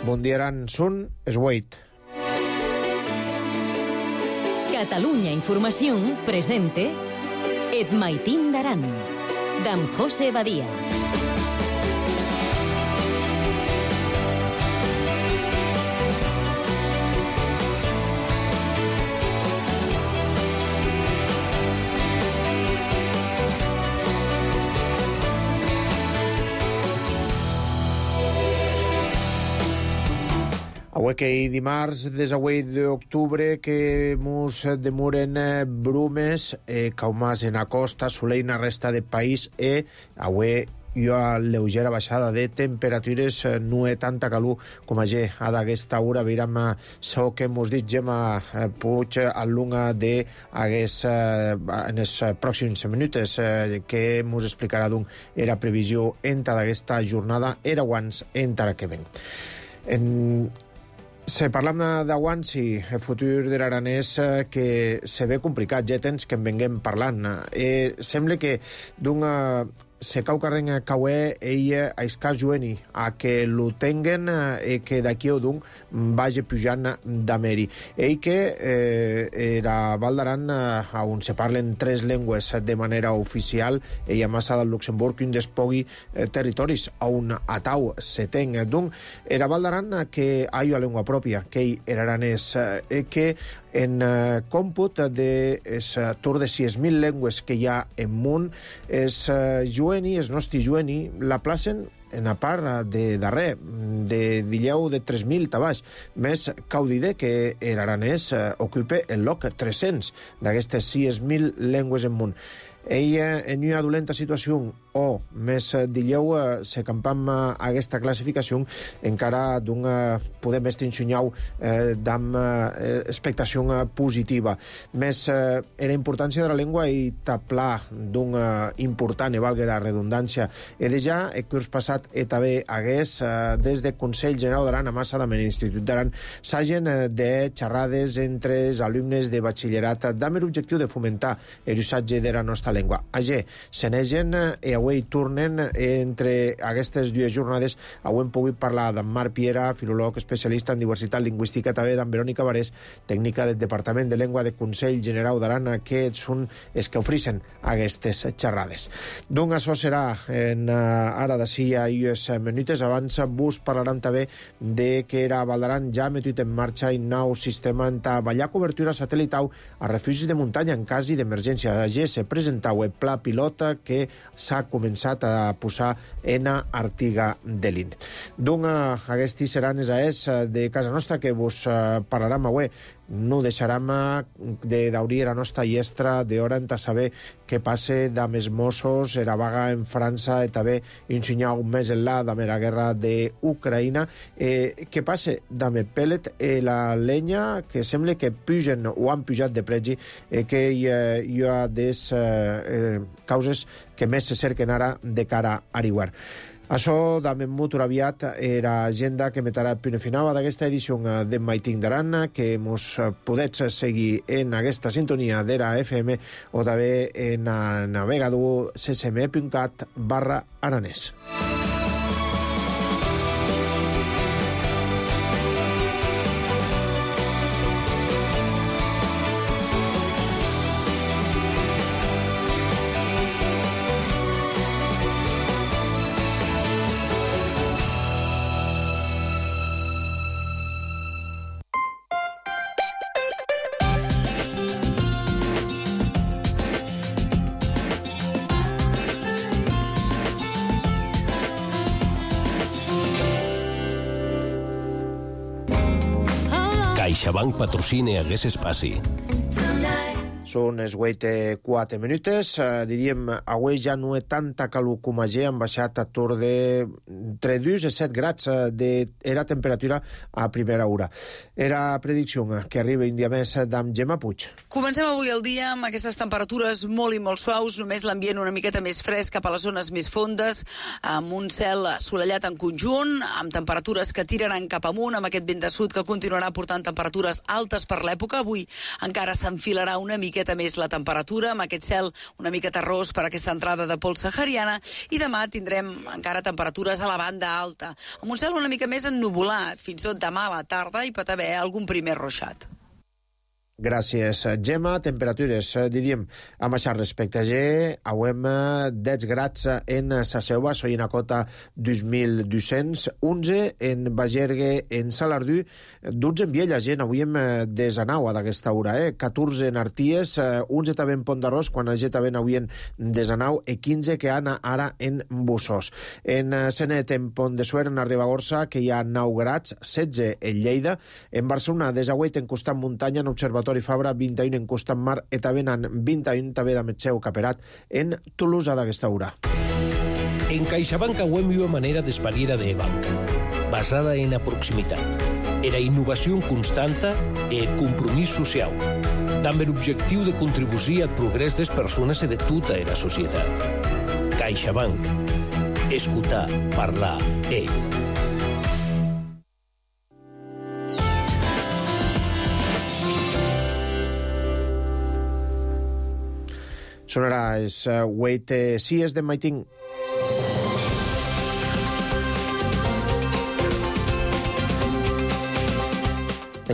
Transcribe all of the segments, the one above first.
Bon dia, Aran. Són es 8. Catalunya Informació presente Et Maitín d'Aran, d'en José Badia. Avui que dimarts, des avui d'octubre, que mos demoren brumes, caumàs en la costa, soleil en la resta del país, avui hi ha lleugera baixada de temperatures, no hi ha tanta calor com ayer. A d'aquesta hora veiem això que mos dit Gemma Puig al lunga de en els pròxims minuts, que mos explicarà d'on era previsió entra d'aquesta jornada, era abans entra que ven. Si parlam d'abans, sí, el futur de l'Aranès que se ve complicat, ja temps que en venguem parlant. Sembla que d'un se cau carren cauer ella a escar jueni a que lo tenguen que d'aquí o d'un vagi pujant d'Ameri. Ell que era Val d'Aran on se parlen 3 llengües de manera oficial, ella massa del Luxemburg, un despogui territoris on atau se ten. D'un era Val d'Aran que ha una llengua pròpia, que ell era aranès, que en còmput de tour de 6.000 llengües que hi ha en món, és jueni, és nostre jueni, la placen en a part de darrer, de dilleu de 3.000 tabaix. Més cau dir que l'aranès ocupa el lloc 300 d'aquestes 6.000 llengües en món. Ella, en una dolenta situació, o més dilleu, se campam aquesta classificació, encara d'un podem estar ensunyau d'am expectació positiva. Més la importància de la llengua i taplar d'un important, i valga la redundància, de ja, el curs passat també hagués, des del Consell General d'Aran a Massa d'Amen, l'Institut d'Aran, s'hagen de xerrades entre els alumnes de batxillerat amb l'objectiu de fomentar l'usatge de la nostra llengua. Ager, se negen i avui tornen entre aquestes dues jornades. Avui hem pogut parlar d'en Marc Piera, filòleg especialista en diversitat lingüística, també d'en Verònica Barés, tècnica del Departament de Llengua del Consell General d'Aran, que són els que ofereixen aquestes xerrades. Doncs això serà ara d'ací a unes minutes. Abans vos parlaran també de que era Val d'Aran ja ha metut en marxa un nou sistema en treballar cobertura satelital a refugis de muntanya en cas d'emergència. Ayer se presentava el pla pilota que s'ha començat a posar en Artiga de l'In. Doncs aquests seran els de casa nostra que vos parlarem avui. No deixarem d'obrir la nostra llestra d'hora en saber què passa amb els Mossos, la vaga en França, i també ensenyar un mes enllà amb la guerra d'Ucraïna. Què passa amb el pellet i la llenya, que sembla que pugen o han pujat de pregi, que hi ha des causes que més se cerquen ara de cara a Ariwar. Això també molt aviat era agenda que metrà el punt final d'aquesta edició de Maitín d'Aran, que mos podets seguir en aquesta sintonia de la FM o també en el navegador ccm.cat/aranès. CaixaBank patrocina aquest espai. Són els 4 minuts. Diríem, avui ja no hi ha tanta calor com ayer, han baixat a tour de entre 2 i 7 grads era temperatura a primera hora. Era predicció que arriba un dia més d'en Gemma Puig. Comencem avui el dia amb aquestes temperatures molt i molt suaus, només l'ambient una miqueta més fresc cap a les zones més fondes, amb un cel assolellat en conjunt, amb temperatures que tiraran cap amunt, amb aquest vent de sud que continuarà portant temperatures altes per l'època. Avui encara s'enfilarà una mica miqueta més la temperatura, amb aquest cel una mica terrós per aquesta entrada de pols sahariana, i demà tindrem encara temperatures a la banda alta, amb un cel una mica més ennuvolat. Fins i tot demà a la tarda hi pot haver algun primer ruixat. Gràcies, Gemma. Temperatures, diríem, amb això respecte a G, auem 10 grads en sa Selva, soy en Acota 2.200, 11 en Bagergue, en Salardú, 12 en Viella, gent, avui hem 19 d'aquesta hora, 14 en Arties, 11 també en Pont d'Arròs, quan a G també n'havien 19, i 15 que han ara en Bussos. En Senet, en Pont de Suert, en Ribagorça, que hi ha 9 grads, 16 en Lleida, en Barcelona, desagüet en costat muntanya, en Observatori Fabra, 21 en costat mar, i també en 21 també de Metxeu Caperat en Tolosa d'aquesta hora. En CaixaBank auem una manera d'espariera de banca, basada en la proximitat, era innovació constanta e compromís social, amb l'objectiu de contribuir al progrés des persones i de tota la societat. CaixaBank. Escutar, parlar, Sonarà és Wait Sies de Maiting.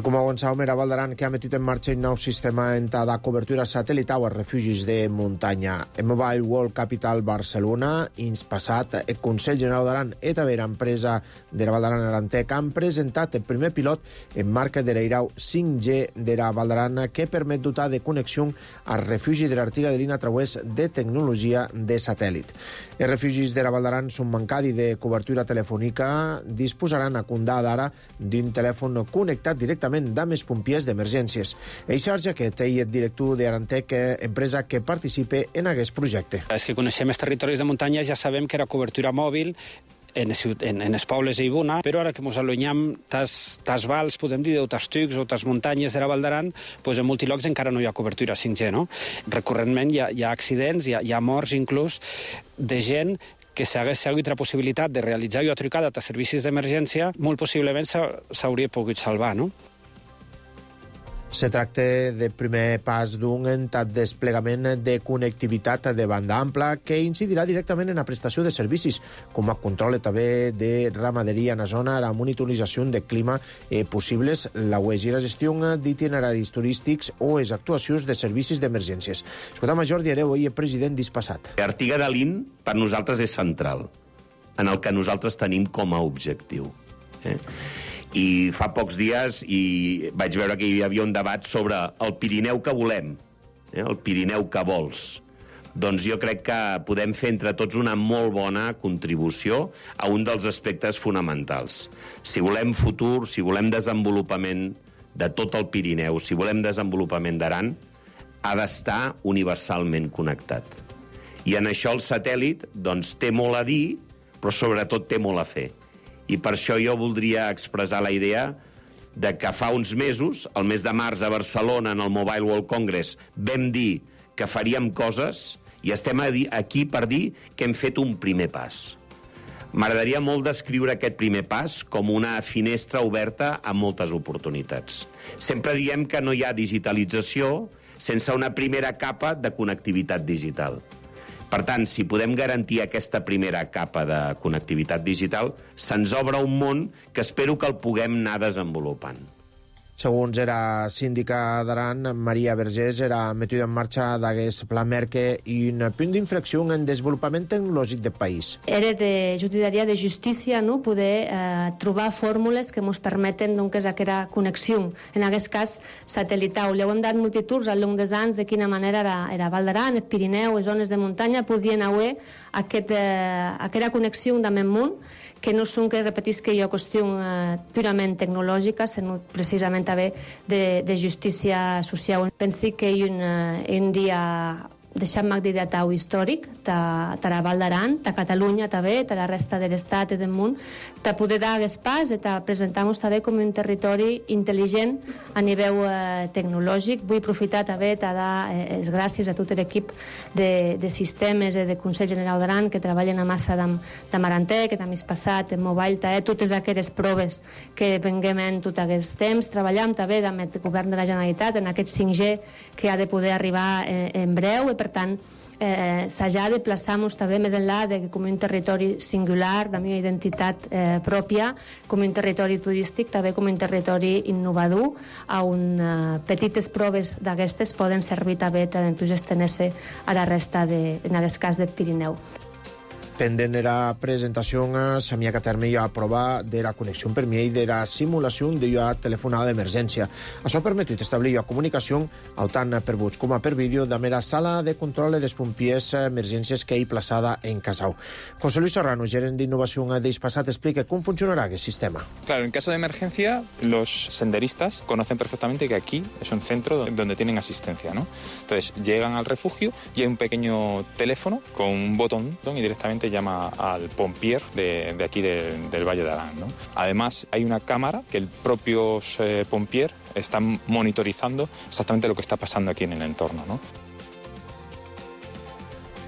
Com avançàvem, era Val d'Aran que ha metut en marxa un nou sistema de cobertura satelital als refugis de muntanya. En Mobile World Capital Barcelona, ins passat, el Consell General d'Aran i també l'empresa de la Val d'Aran Arantec han presentat el primer pilot en marca de l'Eirau 5G de la Val d'Aran que permet dotar de connexió al refugi de l'Artiga de Lina a través de tecnologia de satèl·lit. Els refugis de la Val d'Aran són mancats de cobertura telefònica, disposaran a comptar d'ara d'un telèfon connectat directament amb els pompiers d'emergències. Això és aquest, el director d'Arantec, empresa que participa en aquest projecte. Els que coneixem els territoris de muntanya ja sabem que era cobertura mòbil en els pobles i Ibuna, però ara que ens allunyam tas vals, podem dir, o tas tucs o tas muntanyes de la Val d'Aran, doncs en molts llocs encara no hi ha cobertura 5G, no? Recurrentment hi ha accidents, hi ha morts inclús de gent que si hagués hagut la possibilitat de realitzar una trucada a servicis d'emergència, molt possiblement s'hauria pogut salvar, no? Se tracta del primer pas d'un desplegament de connectivitat de banda ampla que incidirà directament en la prestació de servicis, com a control també de ramaderia en la zona, la monitorització de clima possibles, la UEG i la gestió d'itineraris turístics o les actuacions de servicis d'emergències. Escoltam a Jordi Hereu, el president d'Ispassat. Artiga de Lin per nosaltres és central, en el que nosaltres tenim com a objectiu. I fa pocs dies vaig veure que hi havia un debat sobre el Pirineu que volem, el Pirineu que vols. Doncs jo crec que podem fer entre tots una molt bona contribució a un dels aspectes fonamentals. Si volem futur, si volem desenvolupament de tot el Pirineu, si volem desenvolupament d'Aran, ha d'estar universalment connectat. I en això el satèl·lit doncs, té molt a dir, però sobretot té molt a fer. I per això jo voldria expressar la idea de que fa uns mesos, el mes de març a Barcelona, en el Mobile World Congress, vam dir que faríem coses i estem aquí per dir que hem fet un primer pas. M'agradaria molt descriure aquest primer pas com una finestra oberta a moltes oportunitats. Sempre diem que no hi ha digitalització sense una primera capa de connectivitat digital. Per tant, si podem garantir aquesta primera capa de connectivitat digital, se'ns obre un món que espero que el puguem anar desenvolupant. Segons era síndica d'Aran, Maria Vergés, era metuda en marxa d'aquest pla Merke i un punt d'inflexió en el desenvolupament tecnològic del país. Era de judicaria de justícia, no? Poder trobar fórmules que ens permeten aquesta connexió, en aquest cas satelital. Li hem dat multituds al llarg dels anys de quina manera era Val d'Aran, el Pirineu, les zones de muntanya, podien haver aquesta connexió amb el món, que no són, que repetisc, que hi ha qüestió purament tecnològica, sinó precisament també de justícia social. Penso que un dia deixant candidatau històric tara Val d'Aran, ta Catalunya també, ta la resta de l'estat i del món, ta poder dar aquest pas i ta presentar-nos també com un territori intel·ligent a nivell tecnològic. Vull aprofitar també ta dar les gràcies a tot l'equip de sistemes i de Consell General d'Aran que treballen a massa d'am Arantè, que també és passat en mobile, totes aquelles proves que venguem en tot aquest temps. Treballem també amb el govern de la Generalitat en aquest 5G que ha de poder arribar en breu i per tant s'ha de plaçar-nos també més enllà de que com un territori singular, de la meva identitat pròpia, com un territori turístic, també com un territori innovador, on petites proves d'aquestes poden servir també per estendre-se a la resta, en aquest cas, del Pirineu. Pendent era presentación s'havia que terme ja a prova de la connexió per mi i de la simulació de la telefonada d'emergència. Això ha permetit establir la comunicació tant per vots com per vídeo de la sala de control dels pompiers emergències que hi plaçada en Casau. José Luis Serrano, gerent d'innovació d'Hispasat, explica com funcionarà aquest sistema. Claro, en caso de emergencia, los senderistas conocen perfectamente que aquí es un centro donde tienen asistencia, ¿no? Entonces, llegan al refugio y hay un pequeño teléfono con un botón y directamente llama al pompier de aquí del Valle de Arán, ¿no? Además, hay una cámara que el propio pompier está monitorizando exactamente lo que está pasando aquí en el entorno, ¿no?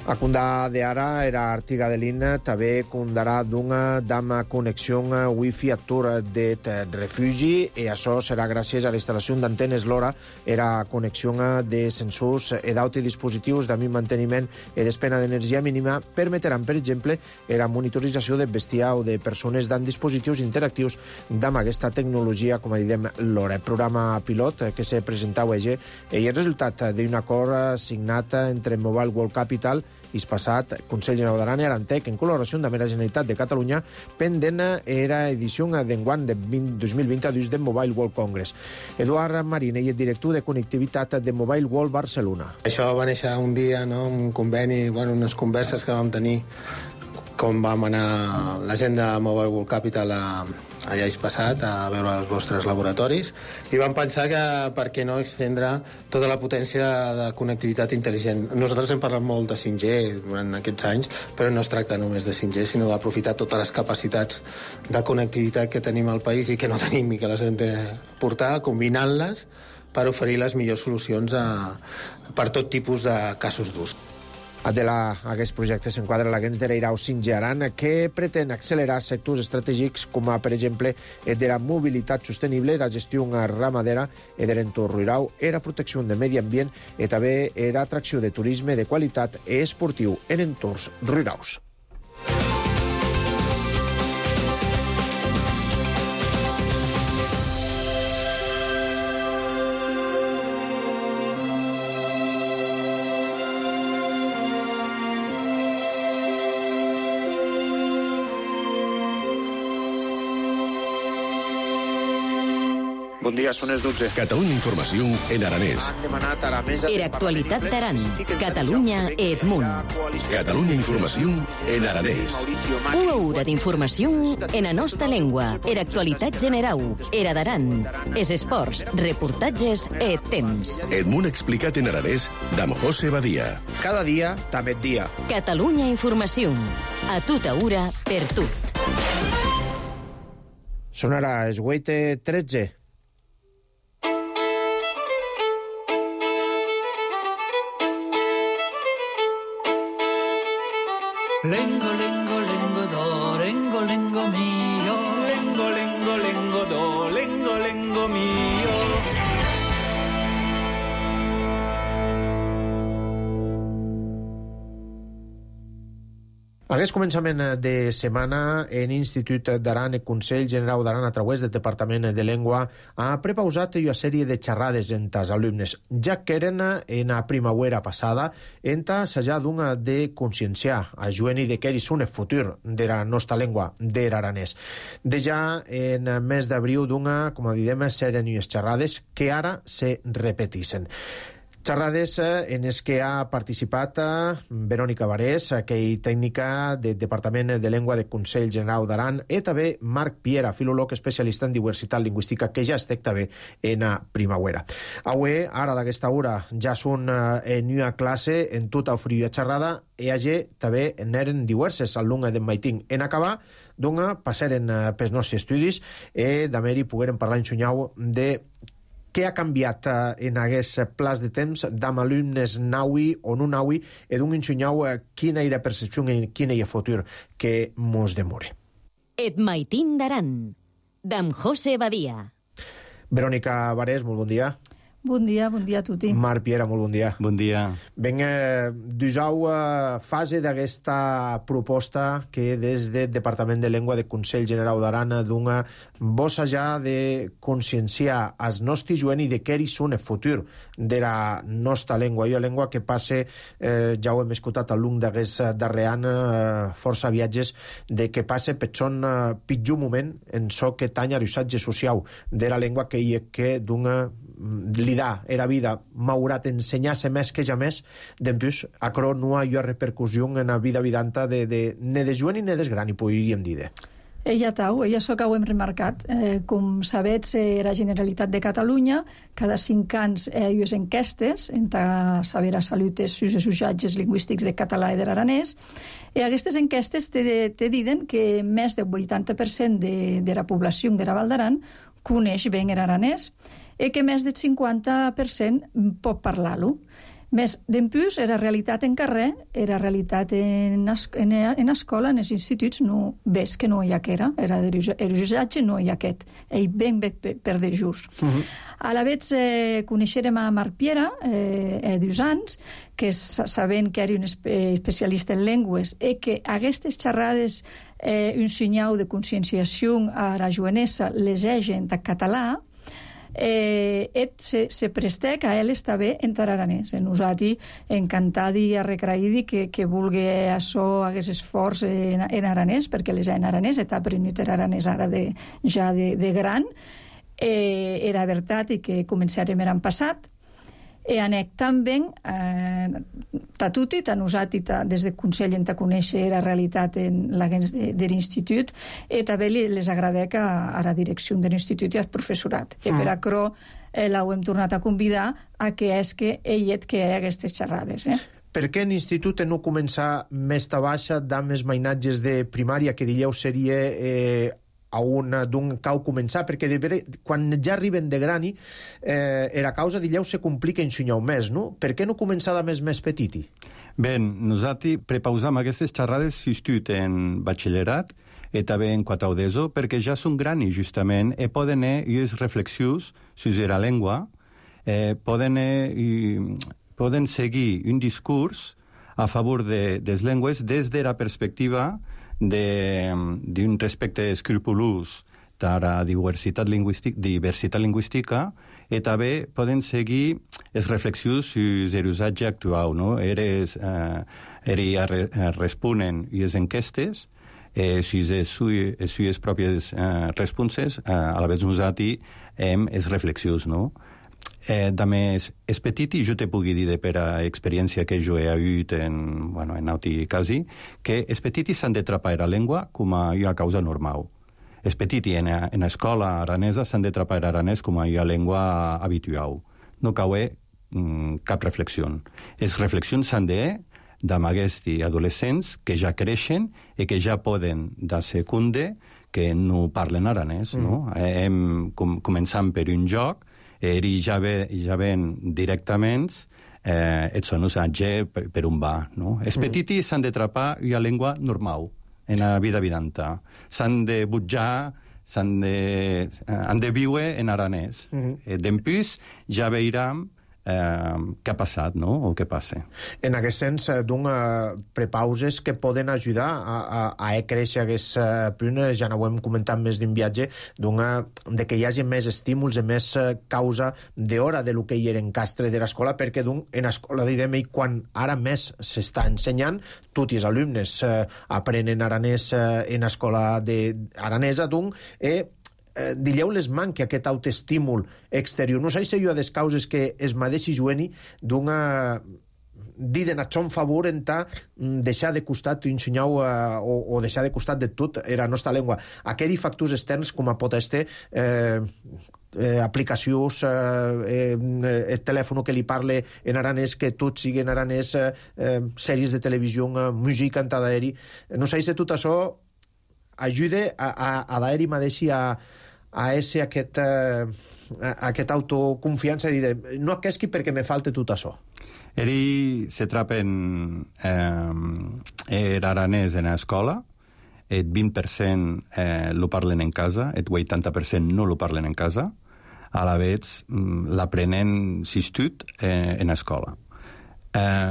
A Condà de Ara era Artiga de l'In, també condarà d'una dama connexió wifi a tur de refugi i això serà gràcies a la instal·lació d'antenes LoRa, era connexió de sensors i d'autres dispositius de manteniment i despena d'energia mínima permetran, per exemple, la monitorització de bestiar o de persones amb dispositius interactius amb aquesta tecnologia, com diem, LoRa. El programa pilot que se presentava i el resultat d'un acord signat entre Mobile World Capital, Hispasat, Consell General d'Aran i Arantec, en col·laboració amb la Generalitat de Catalunya, pendent era edició d'enguany de 2022 de Mobile World Congress. Eduard Marín, el director de connectivitat de Mobile World Barcelona. Això va néixer un dia, no?, un conveni, unes converses que vam tenir com vam anar la gent de Mobile World Capital allà Hispasat a veure els vostres laboratoris i vam pensar que per què no extendre tota la potència de connectivitat intel·ligent. Nosaltres hem parlat molt de 5G durant aquests anys, però no es tracta només de 5G, sinó d'aprofitar totes les capacitats de connectivitat que tenim al país i que no tenim i que les hem de portar, combinant-les per oferir les millors solucions per tot tipus de casos d'ús. Aquest projecte s'enquadra a l'Agents de l'Eirau 5G Aran, que pretén accelerar sectors estratègics com, per exemple, de la mobilitat sostenible, la gestió ramadera de l'entorn rural, la protecció del medi ambient i també l'atracció de turisme de qualitat i esportiu en entorns rurals. Bon dia, són les 12. Catalunya Informació en aranès. Era actualitat d'Aran, Catalunya i Edmunt. Catalunya Informació en aranès. Una hora d'informació en la nostra llengua. Era actualitat general. Era d'Aran. Es esports, reportatges i temps. Edmunt explicat en aranès d'Am José Badia. Cada dia, també dia. Catalunya Informació. A tota hora, per tot. Són ara les 8:13. Lengo, lengo, lengo, do, lengo, lengo mio. Lengo, lengo, lengo, do, lengo, lengo mio. Aquest començament de setmana, en Institut d'Aran, el Consell General d'Aran, a través del Departament de Llengua, ha prepausat una sèrie de xerrades entre els alumnes, ja que eren en la primavera passada, entre assajar d'una de conscienciar a jueni de que és un futur de la nostra llengua, de l'aranès. De ja en mes d'abril d'una, com diem, seren unes xerrades que ara se repeteixen. Xerrades en els que ha participat Verònica Varés, que és tècnica del Departament de Llengua del Consell Generau d'Aran, i també Marc Piera, filòleg especialista en diversitat lingüística, que ja estic també en a primavera. Avui, ara d'aquesta hora, ja són en una classe en tota ofriua xerrada, i allà també n'eren diverses alumnes d'en Maitín. En acabar, doncs, passaren pels nostres estudis i d'haver-hi pogueren parlar en Xunyau de què ha canviat en aquest plaç de temps d'am alumnes naui o no naui i d'un ensenyau quina era percepció i quina era futur que mos demore. Et Maitín d'Aran, d'am José Badia. Verònica Varés, molt bon dia. Bon dia a tutti. Marc Piera, molt bon dia. Bon dia. Ben, dusau fase d'aquesta proposta que des del Departament de Llengua del Consell Generau d'Aran dona bossa ja de conscienciar als nostres joves i de què és el futur de la nostra llengua. Una llengua que passe, ja ho hem escoltat al lung d'aquest darrer any, força viatges, de que passe per son pitjor moment en so que tanya l'usatge social de la llengua que dona l'idà era vida m'haurà d'ensenyar-se més que ja més, d'empús, acro no hi ha repercussió en la vida vidanta ne de joven ni ne de gran, i podríem dir. Ella tau, ella això que ho hem remarcat. Com sabets, la Generalitat de Catalunya, cada 5 anys hi ha enquestes en saber a salut els usatges lingüístics de català i de l'aranès, i aquestes enquestes te diuen que més del 80% de la població de la Val d'Aran coneix bé l'aranès, i que més del 50% pot parlar-lo. Més d'empús, era realitat en carrer, era realitat en escola, en els instituts, no ves que no hi ha que era l'usatge no hi ha aquest. Ell ben bé per de just. A la vegada coneixerem a Marc Piera, 2 anys, que sabent que era un especialista en llengües i que aquestes xerrades un senyal de conscienciació a la jovenessa les egen en català, se prestec a ell està bé en tararanès. Nosaltres encantat i arrecraïdi que vulgui això, hagués esforç en aranès, perquè les en aranès, està aprenut aranès ara ja de gran. Era veritat i que començarem l'any passat. I anec també a tutti, a nosaltres des del Consell hem de conèixer la realitat en l'agents de l'institut, i també les agradec a la direcció de l'institut i al professorat. I per això l'ho hem tornat a convidar a que és que ell que hi ha aquestes xerrades. Per què l'institut no començar més ta baixa d'am els mainatges de primària, que dieu seria a d'un cau començar, perquè quan ja arriben de grani la causa d'illeu se complica en xunyau més, no? Per què no començar de més petiti? Bé, nosaltres prepausam aquestes xerrades s'estut en batxillerat i també en quatau d'ESO, perquè ja són grani, justament, i poden unes reflexions sobre la llengua, poden seguir un discurs a favor de les llengües des de la perspectiva d'un respecte escrupolós a la diversitat lingüística i també poden seguir les reflexions sobre l'usatge actual. Responen les enquestes sobre les seves pròpies responses, a la vegada nosaltres hem les reflexions. A més, és petit i jo te pugui dir per experiència que jo he hagut en altres casos, que és petit i s'han de trapar la llengua com a una causa normal. És petit i en l'escola aranesa s'han de trapar l'aranès com a una llengua habitual. No cau cap reflexió. Les reflexions s'han de amb aquests adolescents que ja creixen i que ja poden de secunde que no parlen aranès. Hem començant per un joc, i ja ven directament et són usatge per un va. Els petits s'han de trapar una llengua normal en la vida vidanta. S'han de butjar, han de viure en aranès. D'empús ja veurem què ha passat, o què passa. En aquest sens, prepauses que poden ajudar a créixer aquest punt, ja no ho hem comentat més d'un viatge, de que hi hagi més estímuls i més causa d'hora de lo que hi era en castre de l'escola, perquè en l'escola quan ara més s'està ensenyant, tots els alumnes aprenen aranès en l'escola aranesa, i Dileu les manque aquest autoestímul exterior. No sé si jo des causes que es madeixi jueni d'una diden a son favor en deixar de costat ensenyau o deixar de costat de tot era nostra llengua. Aquells factors externs com a pot estar aplicacions, el telèfon que li parle en aranès, que tot sigui en aranès, sèries de televisió, música en d'aeri. No sé si tot això ajuda a d'aeri mateixi a ese aquest autoconfiança i dir, no aquesqui perquè me falte tot això. Eri se trapen aranès en l'escola, el 20% lo parlen en casa, el 80% no lo parlen en casa, a la vez l'aprenen s'istut en l'escola.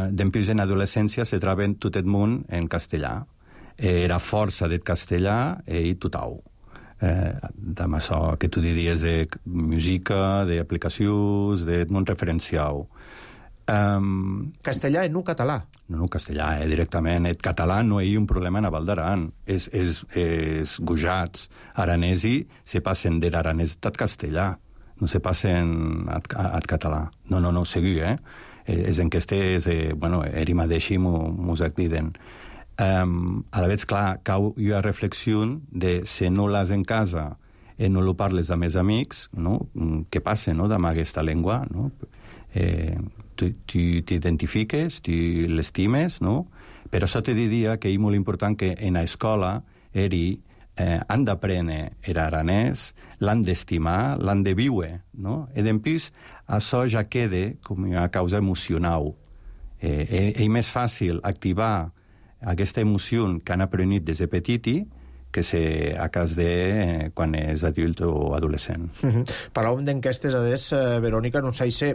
Després, en adolescència, se traben tot el món en castellà. Era força del castellà i totau. Amb això que tu diries de música, d'aplicacions, del món referencial. Castellà i no català? No, castellà, directament. El català no hi ha un problema en Val d'Aran. Els gojats aranesi se passen de l'aranès al castellà. No se passen al català. No, segur, És enquestes, eri mateixi mos acdiden. A la vez, clar, cau una reflexió de si no l'has en casa i no lo parles amb els amics, no? Què passa, no?, amb aquesta llengua, no? Tu t'identifiques, tu l'estimes, no? Però això te diria que és molt important que en l'escola han d'aprendre l'aranès, l'han d'estimar, l'han de viure, no? I després això ja queda com una causa emocional. És més fàcil activar aquesta emoció que han aprenit des de petiti que se a cas de quan és adult o adolescent. Parlàvem d'enquestes, Verònica, no sé si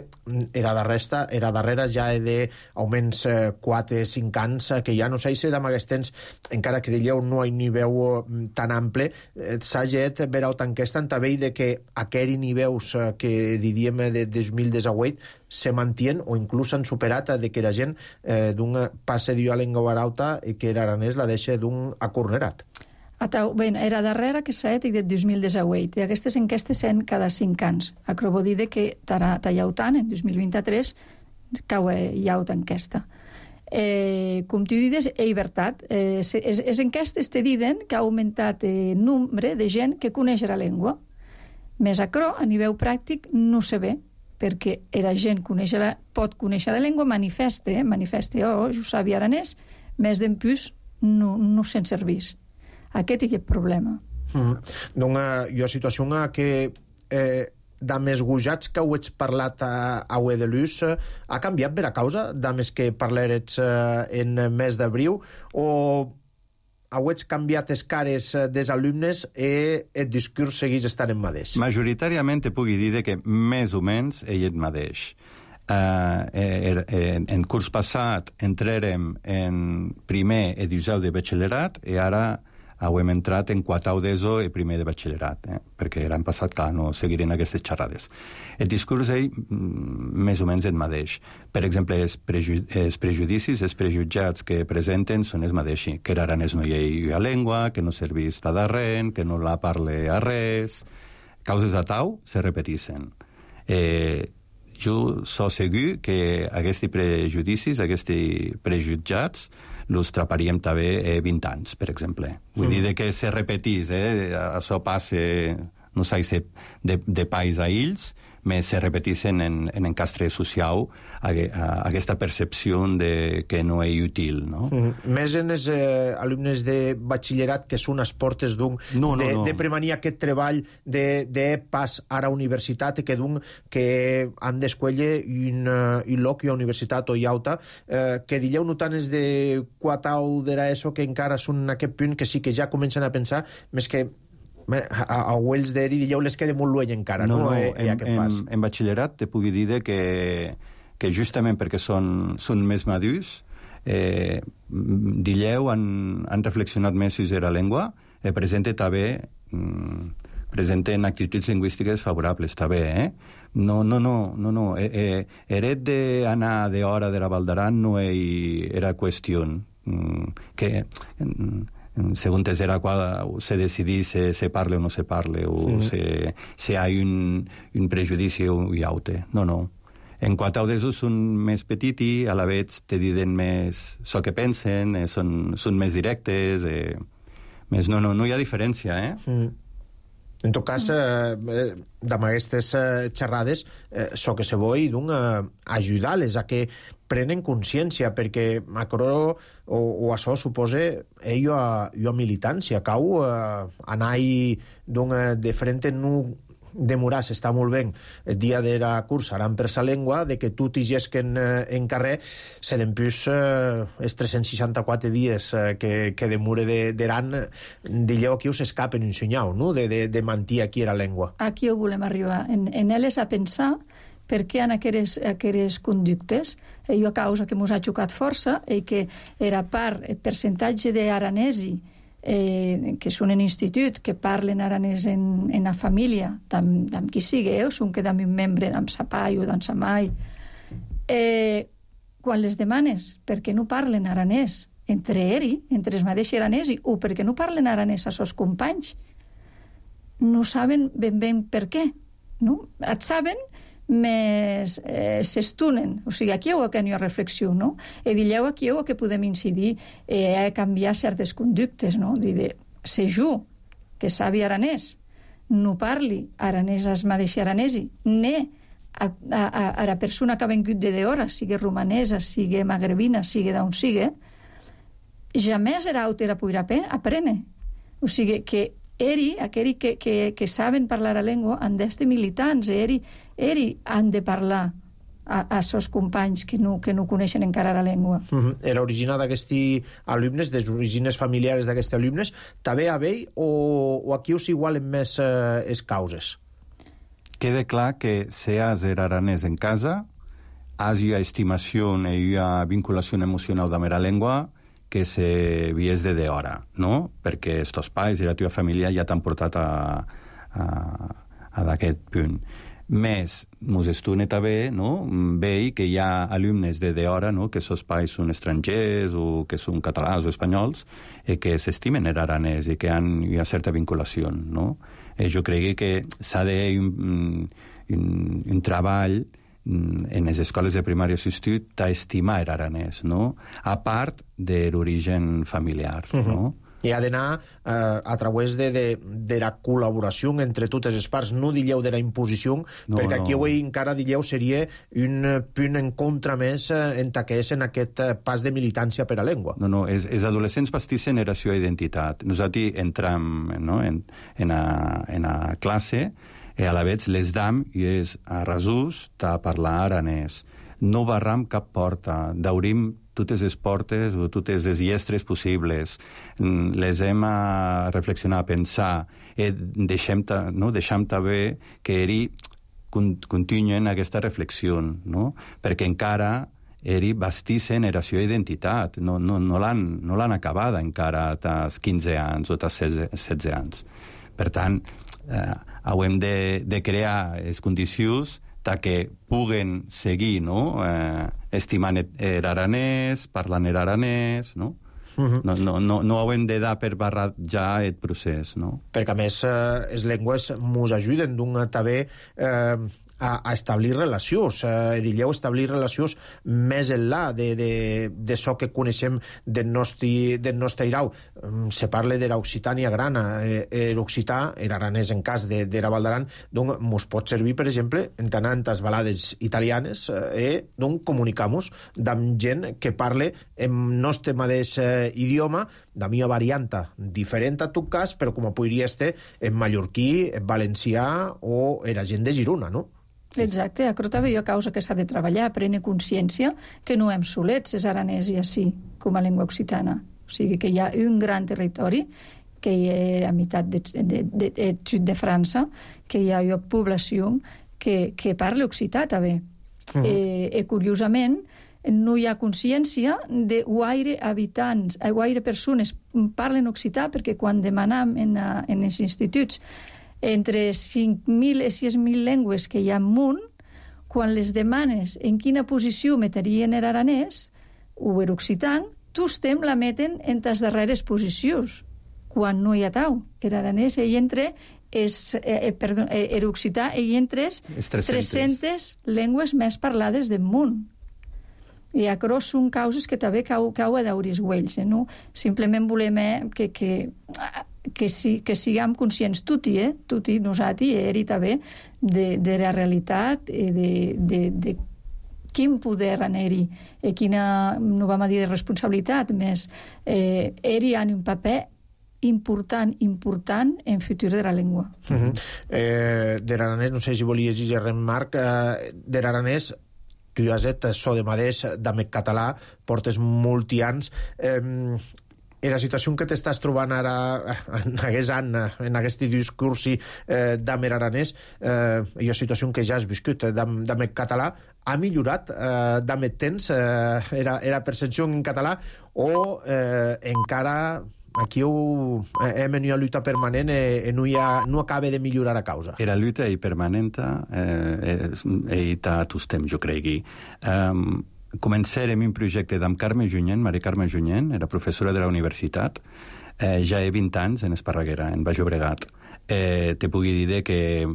era darrere ja d'augments 4-5 anys, que ja no sé si amb aquests temps, encara que dieu no hi niveu tan ample, s'ha get veure enquesta en tabell de que aquells nivells que diríem de 2018 se mantien o inclús han superat de que la gent d'un passe d'una llengua barauta i que l'aranès la deixa d'un acornerat. Era darrere que s'ha dit de 2018 i aquestes enquestes són cada 5 anys. Acabo de dir que tallau tant, en 2023, cau hi ha una enquesta. Com tu dius, és veritat. Les enquestes te diuen que ha augmentat el nombre de gent que coneix la llengua. Més acro, a nivell pràctic, no se ve, perquè la gent pot conèixer la llengua, manifesta, jo sabia aranès, més d'en plus no se'n servís. Aquest és el problema. Doncs hi ha situació que de més gojats que ho ets parlat a Uedelús ha canviat per a causa de més que parlarets en mes d'abril o ho ets canviat les cares dels alumnes i el discurs segueix estant en mateix? Majoritàriament te pugui dir que més o menys ell et mateix. En curs passat entrarem en primer edusau de batxillerat i ara hem entrat en quartau d'ESO i primer de batxillerat, perquè l'any passat, clar, no seguirem aquestes xerrades. El discurs és més o menys el mateix. Per exemple, els prejudicis, els prejutjats que presenten són els mateixos, que l'aranès no hi ha llengua, que no serveix a darrere, que no la parle a res. Causes a tau se repeteixen. Jo soc segur que aquests prejudicis, aquests prejutjats, los traparíem també 20 anys, per exemple. Vull dir que se repetís, això passa, no sé si de país a ells, però se repeteixen en encastre social aquesta percepció de que no és útil, no? Més en els alumnes de batxillerat que són les portes de premanir aquest treball de pas a la universitat que han d'escollir un lloc i una universitat o hi alta, que dieu no tant és de quartau de l'ESO que encara són en aquest punt que sí que ja comencen a pensar més que a Wells d'Eri dieu les queda molt lluny encara, no? En batxillerat te pugui dir que justament perquè són més madurs, dieu han reflexionat més sobre la llengua, presenten actituds lingüístiques favorables, també, No. Eret d'anar d'hora de la Val d'Aran no era qüestió. Que según era cual se decidís se parle o no se parle, o si hay un prejudici i aute. No. En quant a d'esos són més petiti, a la vegada te diuen més el que pensen, són més directes, més no hi ha diferència, En tot cas, amb aquestes xerrades, so que se voi ajudar-les a que prenen consciència, perquè aquerò o això suposa ella a militància, cau anar-hi de frente demoràs, està molt bé el dia de la cursa, aran per sa llengua, de que tu t'higesquen en carrer, se d'empús els 364 dies que demore d'Aran, dilleu aquí us escapen un senyal, no?, de mantir aquí la llengua. Aquí ho volem arribar. En elles a pensar per què en aquelles conductes, i a causa que mos ha xocat força, i que era part, el percentatge d'aranesi que són en institut, que parlen aranès en la família, d'amb qui sigueu, són que d'amb un membre d'amb sa pai o d'amb sa mai. Quan les demanes per què no parlen aranès entre els mateixos aranesi, o per què no parlen aranès a sos companys, no saben ben per què. No? Et saben, més s'estunen. O sigui, aquí ho que n'hi ha reflexió, no? I dilleu aquí ho que podem incidir a canviar certes conductes, no? Dir, se jo, que sabi aranès, no parli aranès as mateix aranesi, ne a la persona que ha vengut de hora, sigui romanesa, sigui magrebina, sigui d'on sigui, jamés era autora poder aprendre. O sigui, que aquells que saben parlar la llengua han d'estar militants, han de parlar a sos companys que no coneixen encara la llengua. Era original d'aquests alumnes, dels orígens familiars d'aquests alumnes, també a vell o aquí us igualen més les causes? Queda clar que si has aranès en casa, has una estimació i una vinculació emocional amb la llengua que se vies de hora, no? Perquè els teus pais i la teva família ja t'han portat a d'aquest punt. Més, mos estune també, no? Veig que hi ha alumnes de hora, no? Que els pais són estrangers o que són catalans o espanyols i que s'estimen l'aranès i que han una certa vinculació, no? Jo crec que s'ha de un treball en les escoles de primària assistit d'estimar l'aranès, no? A part de l'origen familiar, no? I ha d'anar a través de la col·laboració entre totes les parts, no dilleu de la imposició, perquè aquí avui encara dilleu seria un punt en contra més en taqués en aquest pas de militància per a llengua. No, els adolescents pastissen era seva identitat. Nosaltres entram en la classe i a la vegada les dam i és a resús de parlar aranès. No barram cap porta, d'obrim totes les portes o totes les llestres possibles. Les hem a reflexionar, a pensar, deixem també que continuen aquesta reflexió, no? Perquè encara bastissen la seva identitat, no l'han acabada encara als 15 anys o als 16 anys. Per tant, hem de crear les condicions que puguen seguir estimant l'aranès, parlant l'aranès, no? No hem de dar per barrar ja el procés, no? Perquè, a més, les llengües ens ajuden també a establir relacions, dilleu establir relacions més enllà de això que coneixem del nostre irau. Se parla de l'Occitània grana, l'occità, l'aranès en cas de la Val d'Aran, doncs ens pot servir, per exemple, en tantes balades italianes, doncs comunicamos amb gent que parla en nostre mateix idioma, de mia varianta diferent a tot cas, però com podria estar en mallorquí, en valencià o en la gent de Girona, no? Exacte, a Crota veia causa que s'ha de treballar, prendre consciència que no hem solets els aranesi així, com a llengua occitana. O sigui que hi ha un gran territori, que hi ha a meitat del sud de França, que hi ha una població que parla occità també. I curiosament, no hi ha consciència de guaire habitants, guaire persones parlen occità, perquè quan demanam en els instituts entre 5.000 i 6.000 llengües que hi ha al món, quan les demanes en quina posició metrien l'aranès o l'occitan, tostem la meten en les darreres posicions, quan no hi ha tau. Era aranès, ell entre era occità, ell entre 300 llengües més parlades del món. I aquerò són causes que també cau a dauris güells, no? Simplement volem que siguem conscients tutti, nosaltres, eri també, de la realitat, de quin poder anar-hi, quina, no vam dir de responsabilitat, més eri han un paper important en futur de la llengua. De l'aranès, no sé si volies dir res, Marc, de l'aranès, tu has et so de madès, d'amec català, portes molti anys. La situació que t'estàs trobant ara en aquest discurs d'amer aranès, la situació que ja has viscut d'amec català, ha millorat d'amec temps la percepció en català o encara aquí hem una lluita permanent i no acaba de millorar a causa? La lluita és permanent i tots temps, jo cregui. Començarem un projecte amb Carme Junyent, Maria Carme Junyent, era professora de la universitat, ja he 20 anys en Esparreguera, en Baix Llobregat. Te pugui dir que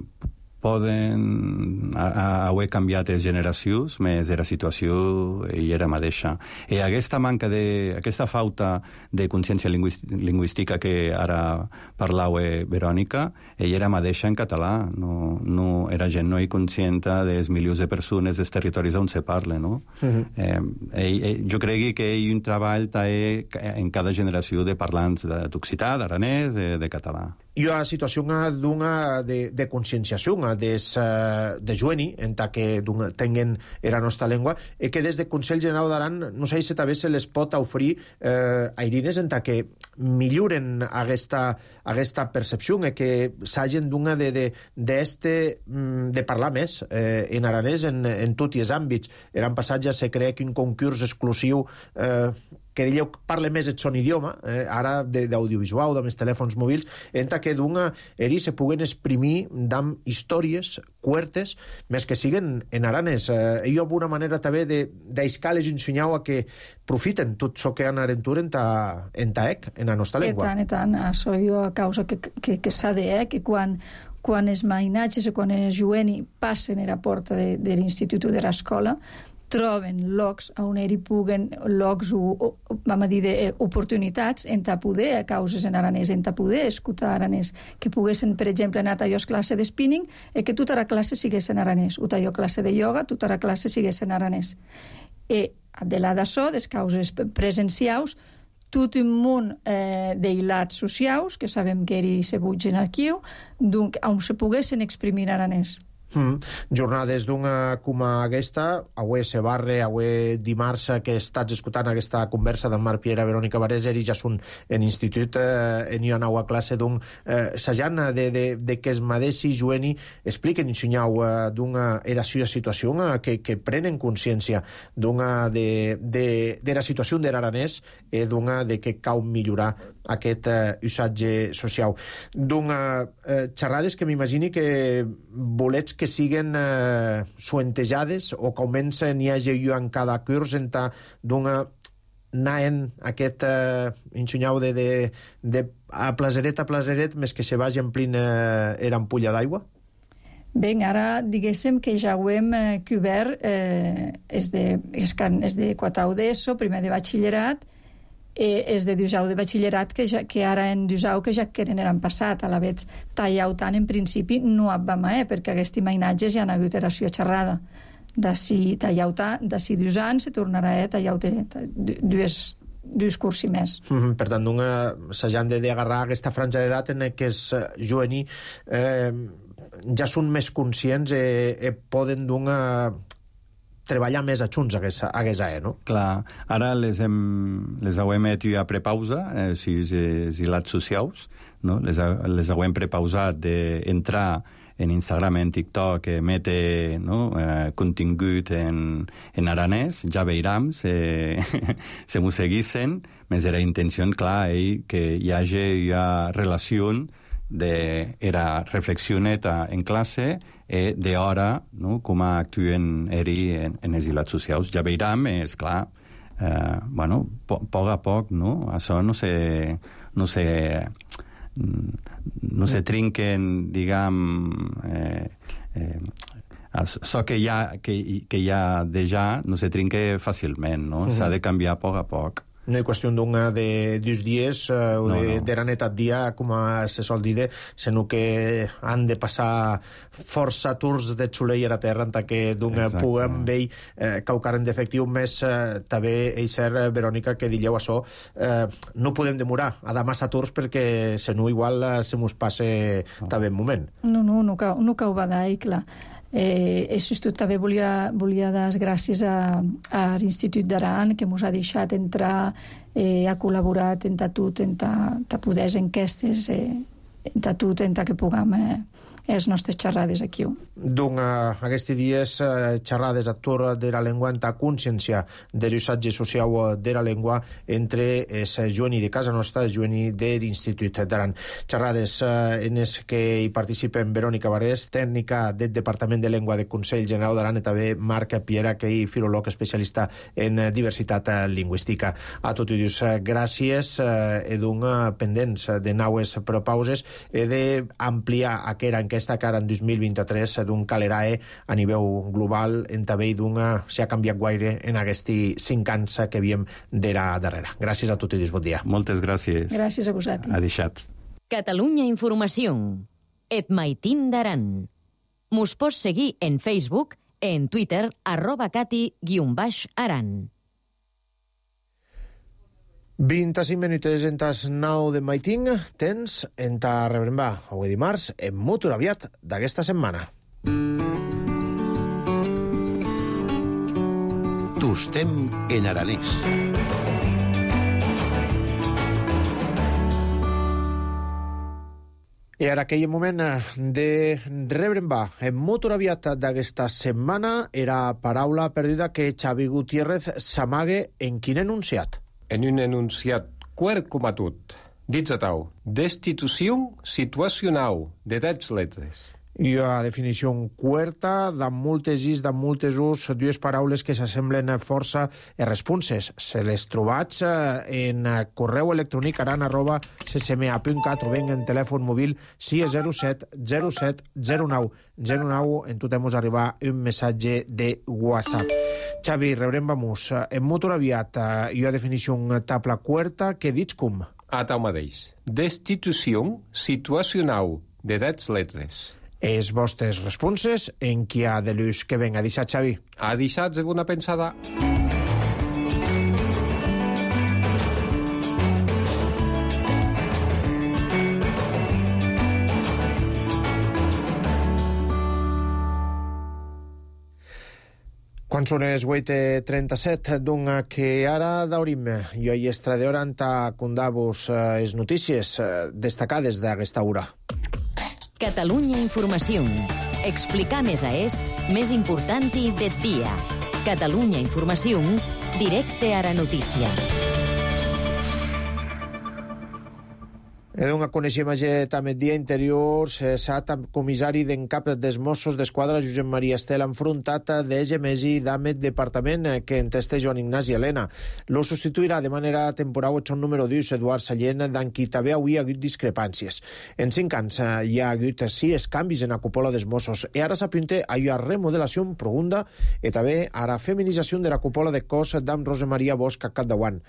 poden haver canviat les generacions, més la situació i era mateixa. I aquesta aquesta falta de consciència lingüística que ara parlau Verònica, ella era mateixa en català. No era gent no conscient dels milions de persones dels territoris on se parla, no? Jo crec que hi ha un treball en cada generació de parlants d'occità, d'aranès, de català. Hi ha situació de conscienciació de jueni, en que tinguen la nostra llengua, i que des del Consell General d'Aran, no sé si també se les pot oferir airines en que milloren aquesta percepció, que s'hagin de parlar més en aranès en tots els àmbits. L'any passat ja se crea un concurs exclusiu que dieu parle més el son idioma, ara d'audiovisual, de més telèfons mòbils, en que ells se puguen exprimir amb històries curtes, més que siguen en aranès. Hi ha alguna manera també d'aiscar les ensenyau a que profiten tot això que han arentur en taec, en la nostra llengua. I tant, això hi ha causa que s'ha de, que quan els mainatges o quan els jueni passen a la porta de l'institut o de l'escola, troben llocs on hi puguen llocs vam dir d'oportunitats en poder a causes en aranès, en poder escoltar aranès, que poguessin, per exemple, anar a tallos classe de spinning i que tota la classe sigués en aranès, o tallo classe de ioga, tota la classe sigués en aranès. I de la d'això, des causes presencials, tot un munt d'ilats socials, que sabem que hi se butgen aquí, on se poguessin exprimir aranès. Jornades com aquesta, avui se barre, avui dimarts que estats escoltant aquesta conversa d'en Marc Piera, Verònica Varés, ells ja són en institut, en una nova classe, s'ajan de que es madessi jueni expliquen i ensenyau era situació que prenen consciència de la situació de l'aranès i de que cal millorar aquest usatge social. Xerrades que m'imagini que bolets que siguen suentejades o comencen i hagi en cada curs naen aquest ensenyau de a plaseret més que se vagi omplint l'ampolla d'aigua? Bé, ara diguéssim que ja ho hem cobert és de quatau d'ESO, primer de batxillerat, és de dusau de batxillerat que ara en dusau que ja queden l'any passat a la veig tallau tant en principi no vam perquè aquests imaginatges ja han hagut eració xerrada d'ací tallau tant, d'ací 2 anys se tornarà tallau dos cursi més. Per tant, s'han d'agarrar aquesta franja d'edat en què els jueni ja són més conscients i poden treballar més a junts a no? Clar, ara les hauem ja prepausa, si els ilats socials, no? Les hauem prepausat d'entrar en Instagram, en TikTok, mete contingut en aranès, ja veiram, se m'ho seguissin, més era intenció, clar, que hi hagi relació era reflexioneta en classe d'hora, com actuen en els ilats socials. Ja veiram, és clar, poc a poc, no? Això no se trinquen, diguem, això que hi ha déjà no se trinca fàcilment, no? S'ha de canviar a poc. No hi qüestió de 2 dies o d'era netat dia, com se sol dir, sinó que han de passar força tours de xuleir a terra en que puguem veure caucaren d'efectiu, més també és cert, Verònica, que dilleu això, no podem demorar a dar massa tours perquè si no igual se mos passe també un moment. No cau va dar, clar. Això també volia dar les gràcies a l'Institut d'Aran, que ens ha deixat entrar, ha col·laborat en tot, en poder enquestes, en tot, en que puguem les nostres xerrades aquí. Aquests dies xerrades a tour de la llengua en ta consciència de l'usatge social de la llengua entre els jueni de casa nostra i els jueni de l'Institut d'Aran. Xerrades en les que hi participen Verònica Barés, tècnica del Departament de Llengua del Consell General d'Aran, i també Marc Piera, que és filòleg especialista en diversitat lingüística. A tots ells, gràcies, pendents de naues propauses, d'ampliar aquesta enquesta que ara en 2023 d'un calerae a nivell global en també s'ha canviat gaire en aquests 5 anys que havíem d'era darrere. Gràcies a tots i bon dia. Moltes gràcies. Gràcies a vosaltres. Adeixat. Catalunya Informació. Et maitin d'Aran. Mos pots seguir en Facebook, en Twitter, @cati_aran. 25 minuts en tas 9 de maiting, tens en ta rebrembar, avui dimarts, en molt aviat d'aquesta setmana. Tostem en aranès. I ara aquell moment de rebrembar en molt aviat d'aquesta setmana era paraula perduda que Xavi Gutiérrez s'amague en quin enunciat. En un enunciat quart comatut, dits a tau, destitució situacional de 10 letres. I a definició quarta, de moltes ús, dues paraules que s'assemblen força responses. Se les trobats en correu electrònic aran@ccma.cat o ben en telèfon mòbil 607 07 09 09, en tot hemos arribar un missatge de WhatsApp. Xavi, rebrem-vamos. En molt aviat, i a definició tabla quarta, que dits com? A tau mateix. Destitució situacional de 10 letres. Els vostres responses en qui ha de l'ús que venga. Deixat, Xavi. Ha deixat segona pensada. Quan són les 8:37, doncs que ara daurim i ahir estradeur anta condavos les notícies destacades d'aquesta hora. Catalunya Informació. Explicar més més important del dia. Catalunya Informació, directe a la notícia. Edonc coneixem també dia interior, cessat amb comissari d'en cap dels Mossos d'Esquadra, Josep Maria Estel, enfrontat de Gemesi d'Amet Departament, que enteste Joan Ignasi Helena. Lo substituirà de manera temporal el son número 2, Eduard Sallent, d'en qui també avui ha hagut discrepàncies. En 5 anys hi ha hagut 6 canvis en la cúpula dels Mossos, i ara s'apunta a una remodelació profunda i també a la feminització de la cúpula de cos d'en Rosa Maria Bosch a capdavant.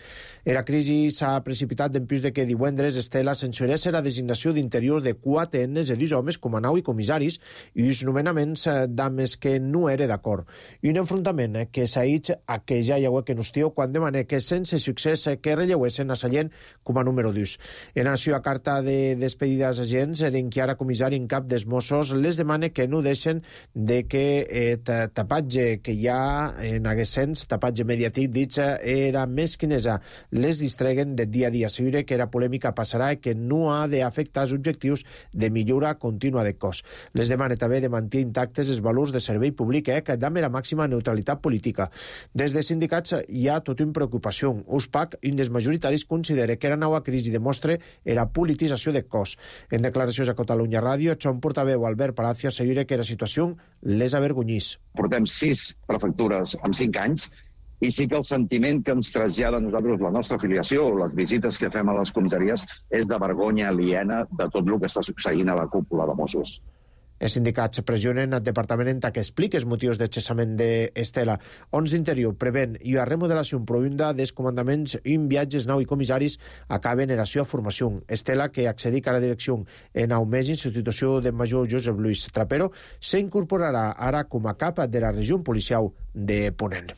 La crisi s'ha precipitat d'empús de que divendres Estela censurés la designació d'interior de 4 enes de 2 homes com a nau i comissaris i els nomenaments d'homes que no era d'acord. I un enfrontament que s'ha dit a que ja hi ha que nostió quan demana que sense succés que relleuessin a Sallent com a número 2. En la seva carta de despedida als agents, l'encara comissari en cap dels Mossos les demana que no deixen de que tapatge que hi ha en aquest sens, tapatge mediàtic, dit era més quinesa, les distreguen de dia a dia. Segure que la polèmica passarà i que no ha d'afectar els objectius de millora contínua de cos. Les demana també de mantenir intactes els valors de servei públic que dame la màxima neutralitat política. Des de sindicats hi ha tota una preocupació. USPAC, un dels majoritaris, considera que la nova crisi demostra la politització de cos. En declaracions a Catalunya Ràdio, son portaveu Albert Palacio assegura que la situació les avergonyís. Portem 6 prefectures en 5 anys I sí que el sentiment que ens trasllada a nosaltres la nostra afiliació o les visites que fem a les comissaries és de vergonya aliena de tot el que està succeint a la cúpula de Mossos. Els sindicats pressionen al Departament que expliqui els motius de cessament d'Estela. Ons d'Interior prevén i a remodelació profunda dels comandaments i viatges nau i comissaris acaben eració a formació. Estela, que accedic a la direcció en aumès en substitució del major Josep Luis Trapero, s'incorporarà ara com a cap de la regió policial de Ponent.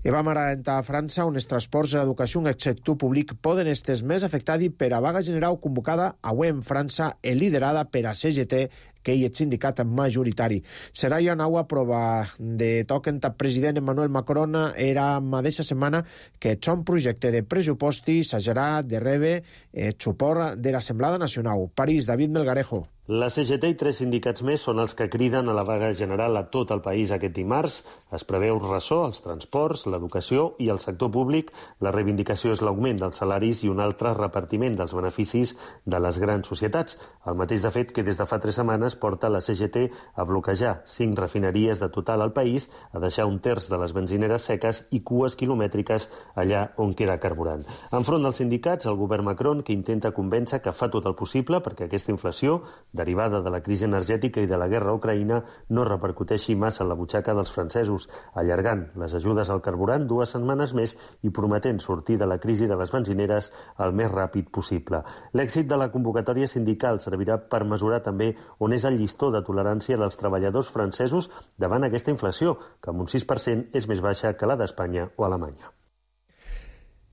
I vam ara entrar a França, on els transports i l'educació en el sector públic poden estar més afectats per a vaga general convocada avui en França i liderada per a CGT, que hi és sindicat majoritari. Serà ja nova prova de toquen el president Emmanuel Macron era mateixa setmana que son projecte de pressuposti s'hagerà de rebre el suport de l'Assemblada Nacional. París, David Melgarejo. La CGT i 3 sindicats més són els que criden a la vaga general a tot el país aquest dimarts. Es preveu ressò als transports, l'educació i el sector públic. La reivindicació és l'augment dels salaris i un altre repartiment dels beneficis de les grans societats. El mateix, de fet, que des de fa 3 setmanes porta la CGT a bloquejar 5 refineries de Total al país, a deixar un terç de les benzineres seques i cues quilomètriques allà on queda carburant. Enfront dels sindicats, el govern Macron, que intenta convèncer que fa tot el possible perquè aquesta inflació, derivada de la crisi energètica i de la guerra a Ucraïna, no repercuteixi massa en la butxaca dels francesos, allargant les ajudes al carburant 2 setmanes més i prometent sortir de la crisi de les benzineres el més ràpid possible. L'èxit de la convocatòria sindical servirà per mesurar també on és el llistó de tolerància dels treballadors francesos davant aquesta inflació, que amb un 6% és més baixa que la d'Espanya o Alemanya.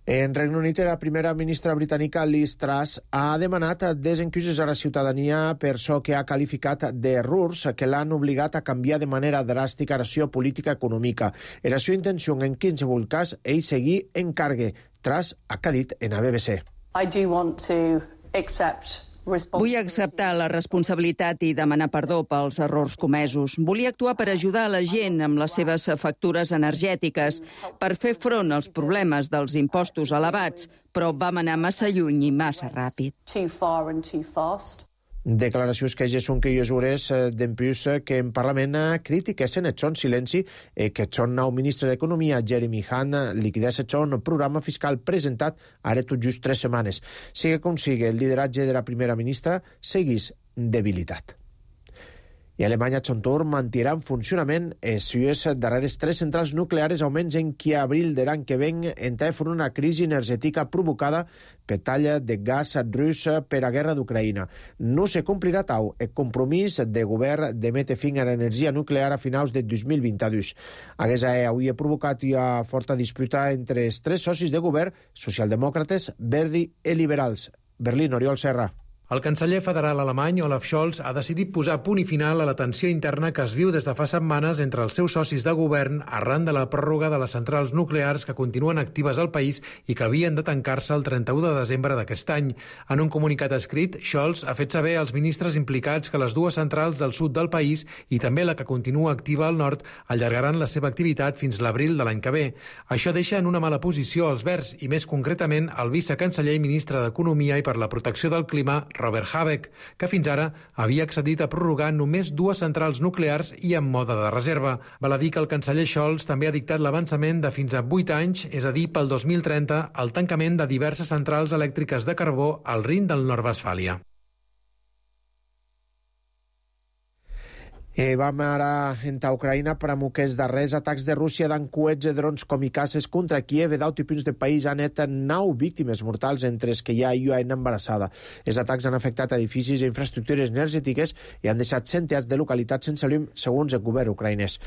En Regne Unit, la primera ministra britànica Liz Truss ha demanat desencuses a la ciutadania per això que ha qualificat d'errors que l'han obligat a canviar de manera dràstica la seva política econòmica. Era la seva intenció en qualsevol cas ell seguir en cargue. Truss ha dit en la BBC. I do want to accept Vull acceptar la responsabilitat i demanar perdó pels errors comesos. Volia actuar per ajudar a la gent amb les seves factures energètiques, per fer front als problemes dels impostos elevats, però vam anar massa lluny i massa ràpid. Declaracions que ja són criatures d'en plus que en Parlament critiquessin el son silenci que el son nou ministre d'Economia, Jeremy Hunt, liquidés el son programa fiscal presentat ara tot just 3 setmanes. Sigui com sigui, el lideratge de la primera ministra seguís debilitat. I Alemanya, a son torn, mantirà en funcionament els seus darreres 3 centrals nucleares almenys en que abril de l'any que ven entrar a una crisi energètica provocada per talla de gas rus per a guerra d'Ucraïna. No se complirà tau el compromís de govern de metre fin a l'energia nuclear a finals de 2022. Aquesta avui ha provocat una forta disputa entre els 3 socis de govern, socialdemòcrates, verdi i liberals. Berlín, Oriol Serra. El canceller federal alemany Olaf Scholz ha decidit posar punt i final a la tensió interna que es viu des de fa setmanes entre els seus socis de govern arran de la pròrroga de les centrals nuclears que continuen actives al país i que havien de tancar-se el 31 de desembre d'aquest any. En un comunicat escrit, Scholz ha fet saber als ministres implicats que les 2 centrals del sud del país i també la que continua activa al nord allargaran la seva activitat fins l'abril de l'any que ve. Això deixa en una mala posició als verds i més concretament el vicecanceller i ministre d'Economia i per la protecció del clima, Robert Habeck, que fins ara havia accedit a prorrogar només 2 centrals nuclears i en mode de reserva. Val a dir que el canceller Scholz també ha dictat l'avançament de fins a 8 anys, és a dir, pel 2030, el tancament de diverses centrals elèctriques de carbó al Rin del Nord-Westfàlia. Vam ara entrar a Ucraïna per amb aquests darrers atacs de Rússia d'en coets i drons kamikazes contra Kiev i d'altres punts del país han net 9 víctimes mortals entre els que hi ha una embarassada. Els atacs han afectat edificis i infraestructures energètiques i han deixat centenars de localitats sense llum, segons el govern ucraïnès.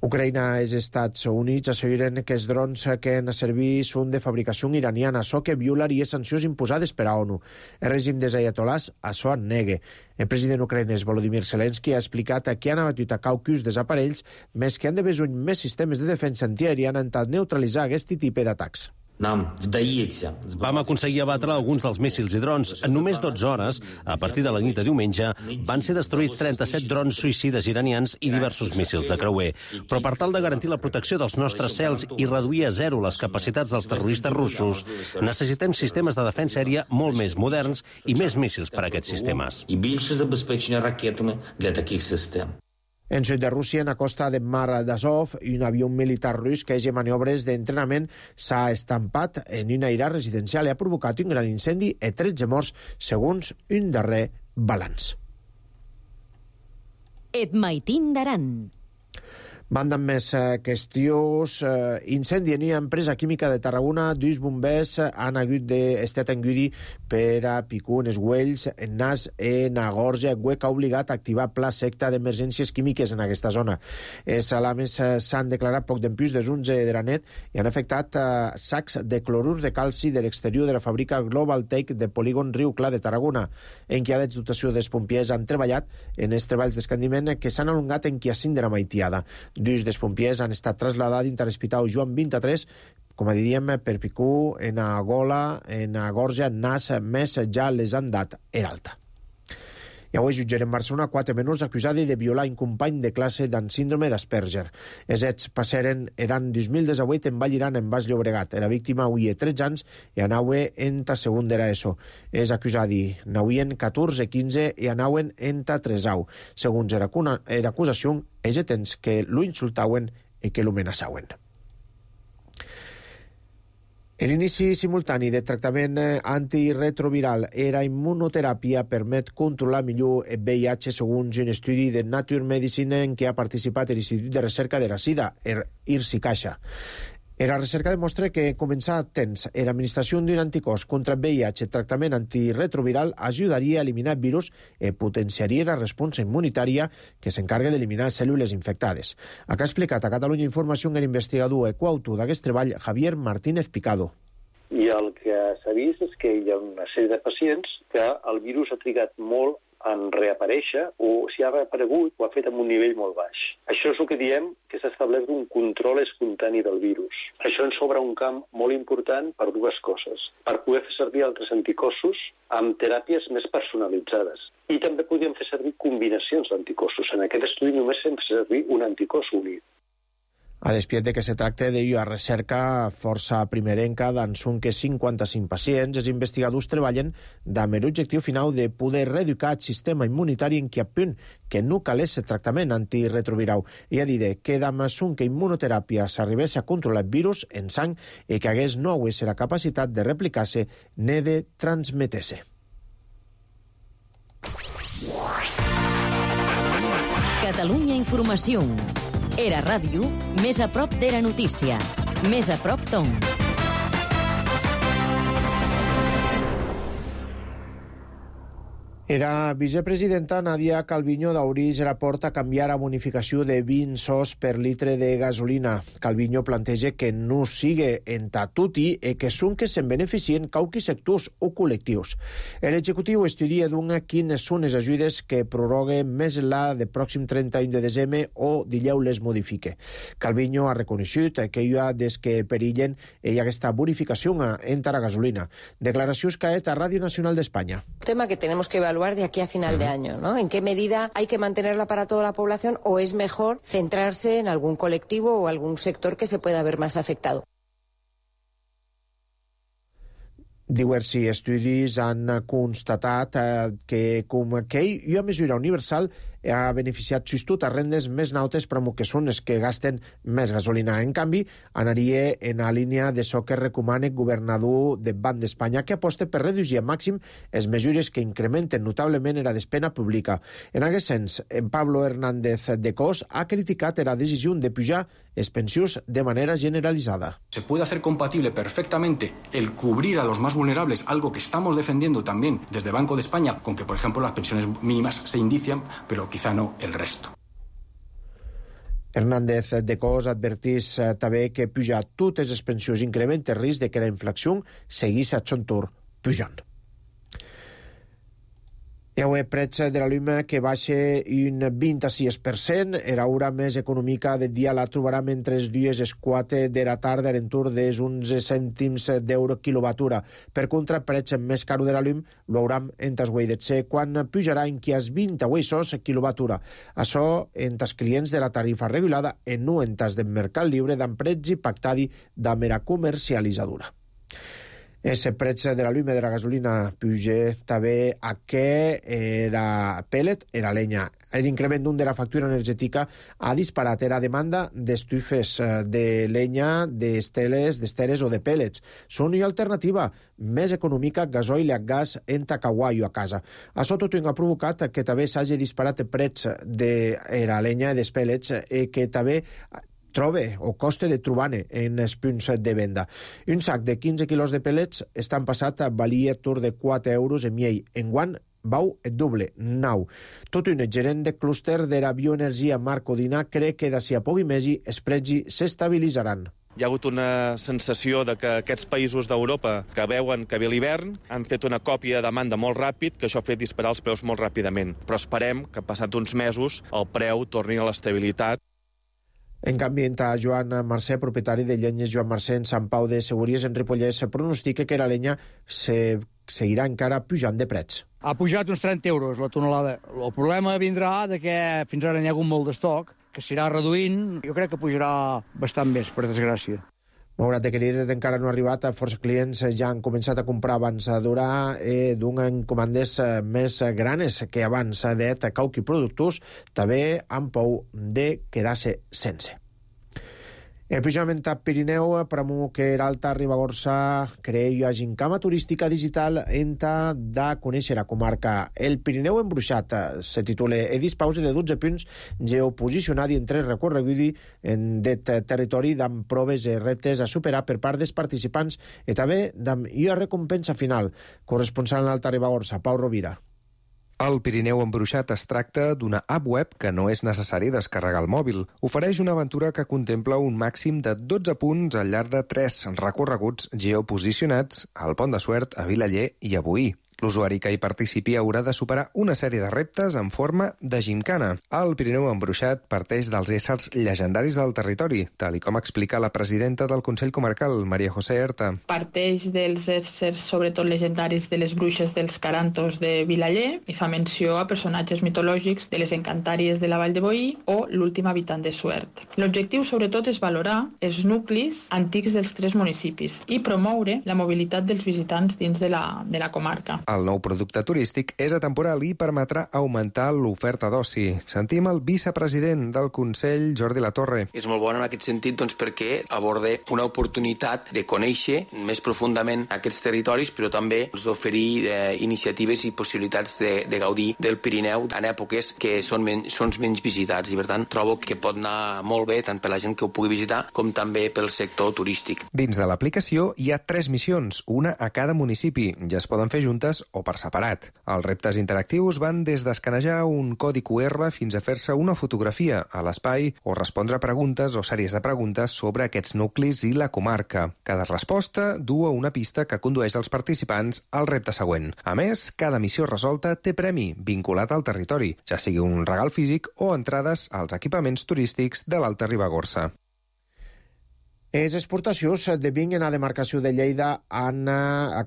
Ucraïna i els Estats Units asseguren que els drons que han de servir són de fabricació iraniana, això que violaria sancions imposades per a ONU. El règim dels ayatolás això en nega. El president ucraïnès Volodymyr Zelensky ha explicat que han abatut a caucus dels aparells, més que han de besoin més sistemes de defensa antiaèria han intentat neutralitzar aquest tipus d'atacs. Vam aconseguir abatre alguns dels míssils i drons. En només 12 hores, a partir de la nit de diumenge, van ser destruïts 37 drons suïcides iranians i diversos míssils de creuer. Però per tal de garantir la protecció dels nostres cels i reduir a 0 les capacitats dels terroristes russos, necessitem sistemes de defensa aèria molt més moderns i més míssils per a aquests sistemes. En sud de Rússia, en la costa de Mar d'Azov, un avió militar rus que hagi maniobres d'entrenament s'ha estampat en una aire residencial i ha provocat un gran incendi i 13 morts, segons un darrer balanç. Et maitin d'Aran. Banda amb més qüestions. Incendi en una empresa química de Tarragona. Dos bombers han hagut d'estar engudi per a picar els uells, en nas i en gorja, que ha obligat a activar pla secta d'emergències químiques en aquesta zona. Els alarmes s'han declarat poc d'empús des 11 de la nit i han afectat sacs de clorur de calci de l'exterior de la fàbrica Global Tech de polígon Riu Clar de Tarragona, en què de dotació dels pompiers han treballat en els treballs d'escandiment que s'han alongat en qui a 5 de la maitiada. Dos dels pompiers han estat traslladats dins l'Hospital Joan 23, com a diríem, per picú en a gola, en a gorja, nas, més ja les han dat alta. I avui jutjarem Barcelona 4 menors acusats de violar un company de classe amb síndrome d'Asperger. Els fets passaren eren 2018 en Vallirana, en Baix Llobregat. La víctima havia 13 anys i anava en ta segon de l'ESO. Els acusats n'havien 14, 15 i anaven en ta 3au. Segons l'acusació, ells tens que lo insultaven i que lo amenaçaven. L'inici simultani de tractament antiretroviral era immunoteràpia permet controlar millor el VIH segons un estudi de Nature Medicine en què ha participat l'Institut de Recerca de la Sida, IRSI-CAIXA. La recerca demostra que començar a temps l'administració d'un anticòs contra VIH tractament antiretroviral ajudaria a eliminar el virus i potenciaria la resposta immunitària que s'encarga d'eliminar cèl·lules infectades. Acá ha explicat a Catalunya Informació l'investigador i coautor d'aquest treball, Javier Martínez Picado. I el que s'ha vist és que hi ha una sèrie de pacients que el virus ha trigat molt en reaparèixer o si ha reaparegut ho ha fet amb un nivell molt baix. Això és el que diem que s'ha establert un control espontani del virus. Això ens obre un camp molt important per dues coses. Per poder fer servir altres anticossos amb teràpies més personalitzades. I també podríem fer servir combinacions d'anticossos. En aquest estudi només hem fet servir un anticòs únic. A despiet de que se tracta d'una recerca força primerenca dans un que 55 pacients, els investigadors treballen amb l'objectiu final de poder reeducar el sistema immunitari en què a punt que no calés el tractament antiretroviral. I ha dit que amb un que immunoteràpia s'arribés a controlar el virus en sang i que hagués no hagués la capacitat de replicar-se ni de transmetre-se. Catalunya Informació. Era ràdio, més a prop de la notícia. Més a prop d'on. La vicepresidenta Nadia Calviño d'Aurís la porta a canviar la bonificació de 20 sous per litre de gasolina. Calviño planteja que no sigui en tatuti i que són que se'n beneficien qualques sectors o col·lectius. L'executiu estudia quines són les ajudes que prorroguen més la de pròxim 31 de desembre o dileu les modifique. Calviño ha reconegut que hi ha des que perillen i aquesta bonificació en la gasolina. Declaracions que ha fet a Ràdio Nacional d'Espanya. Tema que tenemos que evaluar de aquí a final de año, ¿no? ¿En qué medida hay que mantenerla para toda la población o es mejor centrarse en algún colectivo o algún sector que se pueda ver más afectado? Diversos estudis han constatat que com que una mesura universal ha beneficiat justot a rendes més nautes però que són les que gasten més gasolina. En canvi, anaria en la línia de so que recomana el governador de Banc d'Espanya que aposta per reduir a màxim les mesures que incrementen notablement la despesa pública. En aquest sens, en Pablo Hernández de Cos ha criticat la decisió de pujar les pensions de manera generalizada. Se puede hacer compatible perfectamente el cubrir a los más vulnerables, algo que estamos defendiendo también desde Banco de España, con que, por ejemplo, las pensiones mínimas se indician, pero quizá no el resto. Hernández de Cos advertís també que pujar totes les pensions incrementa el risc de que la inflació seguís a son tour pujant. Hi ha preig de la llum que baixa un 26%. Era hora més econòmica del dia la trobarà mentre els dies es 4 de la tarda a l'entorn dels 11 cèntims d'euro quilowatura. Per contra, preig més caro de la llum lo hauram en tas guaidetxe quan pujarà en qui es 20 euros quilowatura. Això en tas clients de la tarifa regulada i no en tas del mercat lliure d'emprets i pactadi de mera comercialitzadora. Ese preu de la llum de la gasolina puja també a què era pellet, era lenya. L'increment de la factura energètica ha disparat la demanda d'estufes de lenya, d'esteres o de pellets. Són una alternativa més econòmica, gasoil i gas en Tacaguayo a casa. Això tot ha provocat que també s'hagi disparat el preu de la lenya i dels pellets que també trobe o coste de trobar-ne en els punts de venda. Un sac de 15 quilos de pellets estan passat a valia tur de 4 euros en miei. Enguant vau el doble, 9. Tot un gerent de clúster de la bioenergia, Marc Codina, cree que d'ací a poc i mesi els preus s'estabilitzaran. Hi ha hagut una sensació de que aquests països d'Europa que veuen que ve l'hivern han fet una còpia de demanda molt ràpid, que això ha fet disparar els preus molt ràpidament. Però esperem que, passat uns mesos, el preu torni a l'estabilitat. En canvi, Joan Mercè, propietari de Llenyes Joan Mercè en Sant Pau de Segúries en Ripollès, pronostica que la lenya seguirà encara pujant de preus. Ha pujat uns 30 euros la tonelada. El problema vindrà de que fins ara n'hi ha hagut molt d'estoc, que s'irà reduint. Jo crec que pujarà bastant més, per desgràcia. Malgrat que l'IRET encara no ha arribat, força clients ja han començat a comprar abans d'hora d'un comandes més granes que abans d'et cauqui productors, també amb por de quedar-se sense. El pujament a Pirineu, premu que l'Alta Ribagorça creia gincama turística digital enta de conèixer la comarca. El Pirineu embruixat se titula Edis Pausa de 12 punts geoposicionat en 3 recorreguts en det territori amb proves i reptes a superar per part dels participants i també amb una recompensa final. Corresponsal en l'Alta Ribagorça, Pau Rovira. El Pirineu embruixat es tracta d'una app web que no és necessari descarregar al mòbil. Ofereix una aventura que contempla un màxim de 12 punts al llarg de 3 recorreguts geoposicionats al Pont de Suert, a Vilaller i a Boí. L'usuari que hi participi haurà de superar una sèrie de reptes en forma de gimcana. El Pirineu embruixat parteix dels éssers llegendaris del territori, tal com explica la presidenta del Consell Comarcal, Maria José Herta. Parteix dels éssers, sobretot legendaris, de les bruixes dels Carantos de Vilaller i fa menció a personatges mitològics de les encantàries de la Vall de Boí o l'últim habitant de Suert. L'objectiu, sobretot, és valorar els nuclis antics dels 3 municipis i promoure la mobilitat dels visitants dins de la comarca. El nou producte turístic és atemporal i permetrà augmentar l'oferta d'oci. Sentim el vicepresident del Consell, Jordi Latorre. És molt bona en aquest sentit perquè aborda una oportunitat de conèixer més profundament aquests territoris, però també d'oferir iniciatives i possibilitats de gaudir del Pirineu en èpoques que són menys visitats i, per tant, trobo que pot anar molt bé tant per la gent que ho pugui visitar com també pel sector turístic. Dins de l'aplicació hi ha 3 missions, una a cada municipi. Ja es poden fer juntes o per separat. Els reptes interactius van des d'escanejar un codi QR fins a fer-se una fotografia a l'espai o respondre preguntes o sèries de preguntes sobre aquests nuclis i la comarca. Cada resposta du a una pista que condueix els participants al repte següent. A més, cada missió resolta té premi vinculat al territori, ja sigui un regal físic o entrades als equipaments turístics de l'Alta Ribagorça. Les exportacions de vi en la demarcació de Lleida han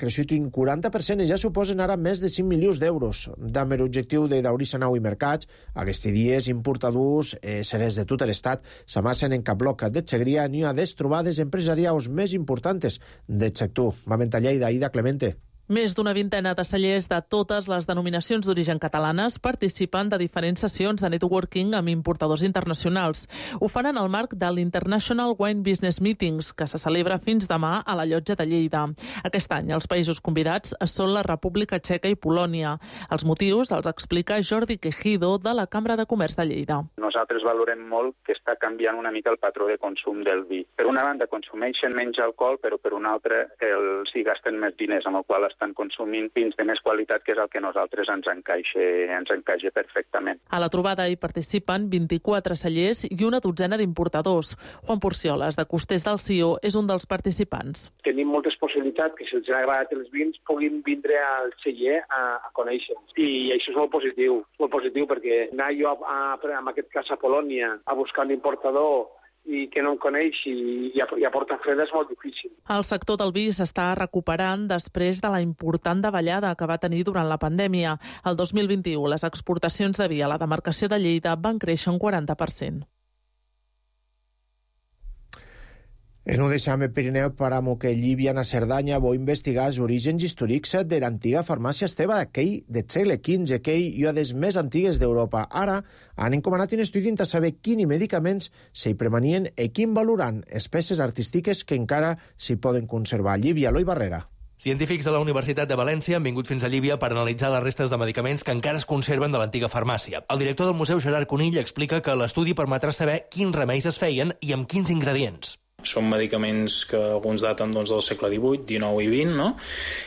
crescut un 40% i ja suposen ara més de 5 milions d'euros. Amb l'objectiu de daurir sanau i mercats, aquests dies importadors, serers de tot l'estat, s'amassen en cap bloc de Segrià ni a des trobades empresarials més importants del sector. Vam a Lleida, Ida Clemente. Més d'una vintena de cellers de totes les denominacions d'origen catalanes participen de diferents sessions de networking amb importadors internacionals. Ho fan en el marc de l'International Wine Business Meetings, que se celebra fins demà a la Llotja de Lleida. Aquest any els països convidats són la República Txeca i Polònia. Els motius els explica Jordi Quejido, de la Cambra de Comerç de Lleida. Nosaltres valorem molt que està canviant una mica el patró de consum del vi. Per una banda consumeixen menys alcohol, però per una altra els hi gasten més diners, amb el qual estan consumint vins de més qualitat, que és el que a nosaltres ens encaixa perfectament. A la trobada hi participen 24 cellers i una dotzena d'importadors. Juan Porcioles, de Costers del Sió, és un dels participants. Tenim moltes possibilitats que, si els ha agradat els vins, puguin vindre al celler a conèixer-los. I això és molt positiu perquè anar jo, en aquest cas a Polònia, a buscar un importador i que no en coneix i a Portafreda és molt difícil. El sector del vi s'està recuperant després de la important davallada que va tenir durant la pandèmia. El 2021 les exportacions de vi a la demarcació de Lleida van créixer un 40%. En un deixam el Pirineu paramo que Llívia na Cerdanya vol investigar els orígens històrics de l'antiga farmàcia Esteve, aquell del segle XV, aquell i una de les més antigues d'Europa. Ara han encomanat un estudi per saber quins medicaments s'hi premanien i quin valoran les peces artístiques que encara s'hi poden conservar. Llívia, Eloi Barrera. Científics de la Universitat de València han vingut fins a Llívia per analitzar les restes de medicaments que encara es conserven de l'antiga farmàcia. El director del museu, Gerard Conill, explica que l'estudi permetrà saber quins remeis es feien i amb quins ingredients. Són medicaments que alguns daten del segle XVIII, XIX i XX, no?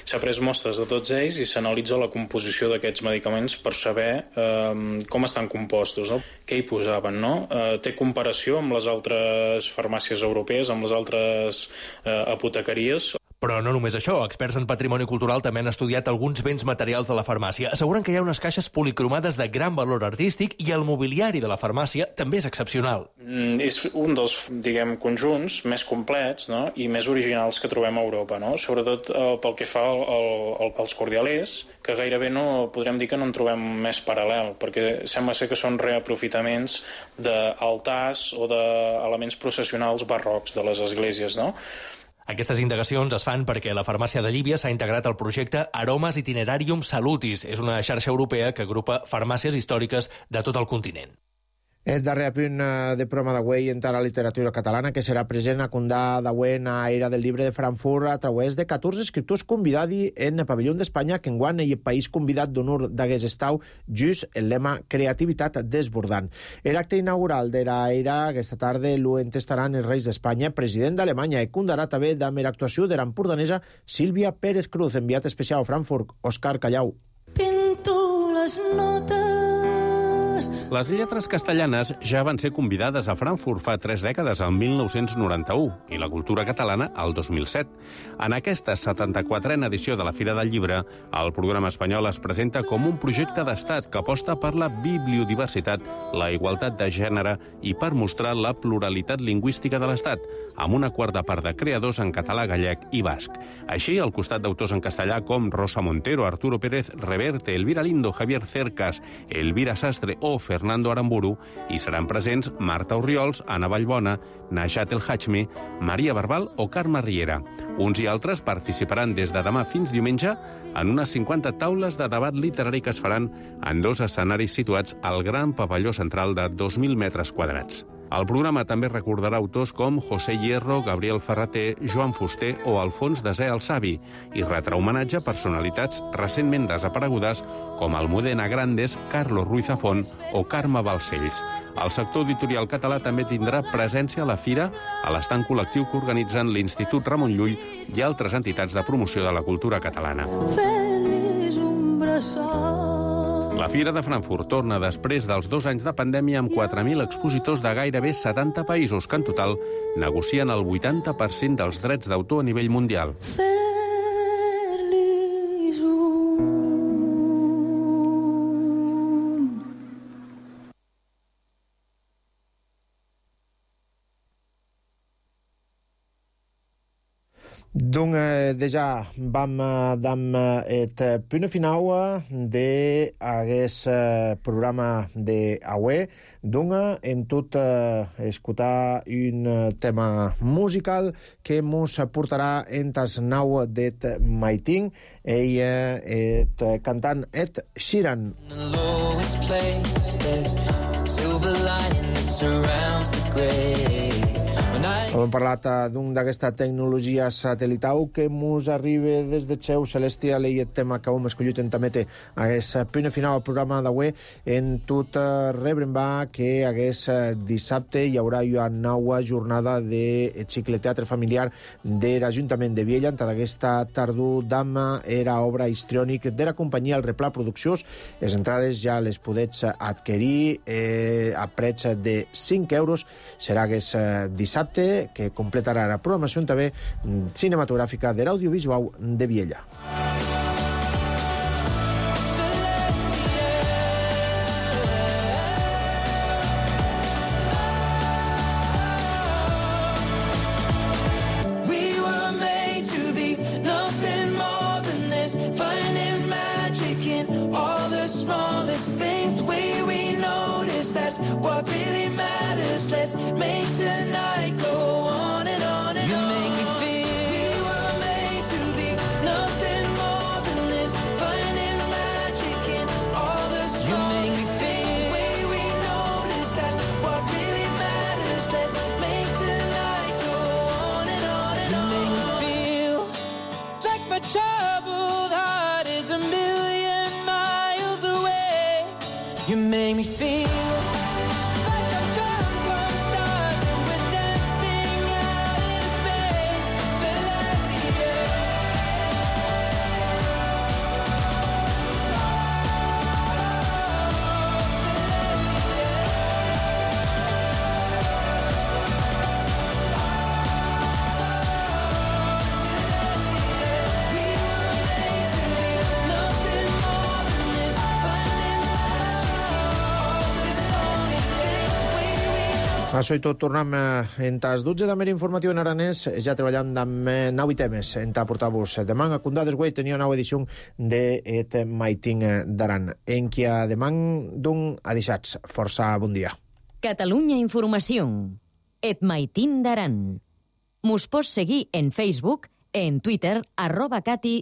S'ha pres mostres de tots ells i s'analitza la composició d'aquests medicaments per saber com estan compostos, no? Què hi posaven, no? Té comparació amb les altres farmàcies europees, amb les altres apotecaries. Però no només això, experts en patrimoni cultural també han estudiat alguns béns materials de la farmàcia. Asseguren que hi ha unes caixes policromades de gran valor artístic i el mobiliari de la farmàcia també és excepcional. És un dels, conjunts més complets, no? I més originals que trobem a Europa, no? Sobretot pel que fa als cordialers, que gairebé no podrem dir que no en trobem més paral·lel, perquè sembla ser que són reaprofitaments d'altars o d'elements processionals barrocs de les esglésies, no? Aquestes indagacions es fan perquè la farmàcia de Llívia s'ha integrat al projecte Aromes Itinerarium Salutis. És una xarxa europea que agrupa farmàcies històriques de tot el continent. El darrer apunt de programa d'avui entra a la literatura catalana, que serà present a Condà d'avui a Era del Llibre de Frankfurt a través de 14 escriptors convidats en el pavelló d'Espanya, que enguany el país convidat d'honor d'hagués estau just el lema Creativitat desbordant. L'acte inaugural de l'Era aquesta tarda lo entestaran els reis d'Espanya, president d'Alemanya, i condarà també amb l'actuació de l'empordanesa Sílvia Pérez Cruz, enviat especial a Frankfurt, Òscar Callau. Pinto les notes. Les lletres castellanes ja van ser convidades a Frankfurt fa 3 dècades, el 1991, i la cultura catalana el 2007. En aquesta 74a edició de la Fira del Llibre, el programa espanyol es presenta com un projecte d'estat que aposta per la bibliodiversitat, la igualtat de gènere i per mostrar la pluralitat lingüística de l'Estat, amb una quarta part de creadors en català, gallec i basc. Així, al costat d'autors en castellà com Rosa Montero, Arturo Pérez Reverte, Elvira Lindo, Javier Cercas, Elvira Sastre o Fernando Aramburu, hi seran presents Marta Orriols, Anna Vallbona, Najat El Hachmi, Maria Barbal o Carme Riera. Uns i altres participaran des de demà fins diumenge en unes 50 taules de debat literari que es faran en 2 escenaris situats al gran pavelló central de 2.000 metres quadrats. El programa també recordarà autors com José Hierro, Gabriel Ferrater, Joan Fuster o Alfons Desè el Savi i retrà homenatge a personalitats recentment desaparegudes com Almudena Grandes, Carlos Ruiz Zafón o Carme Balcells. El sector editorial català també tindrà presència a la fira, a l'estand col·lectiu que organitzen l'Institut Ramon Llull i altres entitats de promoció de la cultura catalana. Feliç un braçat. La Fira de Frankfurt torna després dels 2 anys de pandèmia amb 4.000 expositors de gairebé 70 països que en total negocien el 80% dels drets d'autor a nivell mundial. Donc, déjà, vam dam et punt final d'aquest programa d'avui. Donc, hem tot escoltar un tema musical que ens portarà en tas nau d'et Maiting. Ell és cantant Ed Sheeran. Hem parlat d'aquesta tecnologia satelital que ens arriba des de Xeu Celestial i el tema que hem escollit en també aquest punt final al programa d'avui en tot rebrembar que aquest dissabte hi haurà una nova jornada de cicle teatre familiar de l'Ajuntament de Viella. En aquesta tardor d'ama era obra histriònic de la companyia El Replà Produccions. Les entrades ja les podets adquirir a preig de 5 euros. Serà aquest dissabte que completarà la programació també cinematogràfica de l'audiovisual de Viella. What really matters, let's make tonight go on and on and on. Això i tot, tornem en tas 12 de mer informatiu en aranès, ja treballant amb 9 temes en ta portar-vos demà a Condades Güell tenia nova edició de Et Maitin d'Aran, en qui a demà d'un adixats. Força bon dia. Catalunya Informació. Et Maitin d'Aran. Mos pots seguir en Facebook, en Twitter, @cati_aran.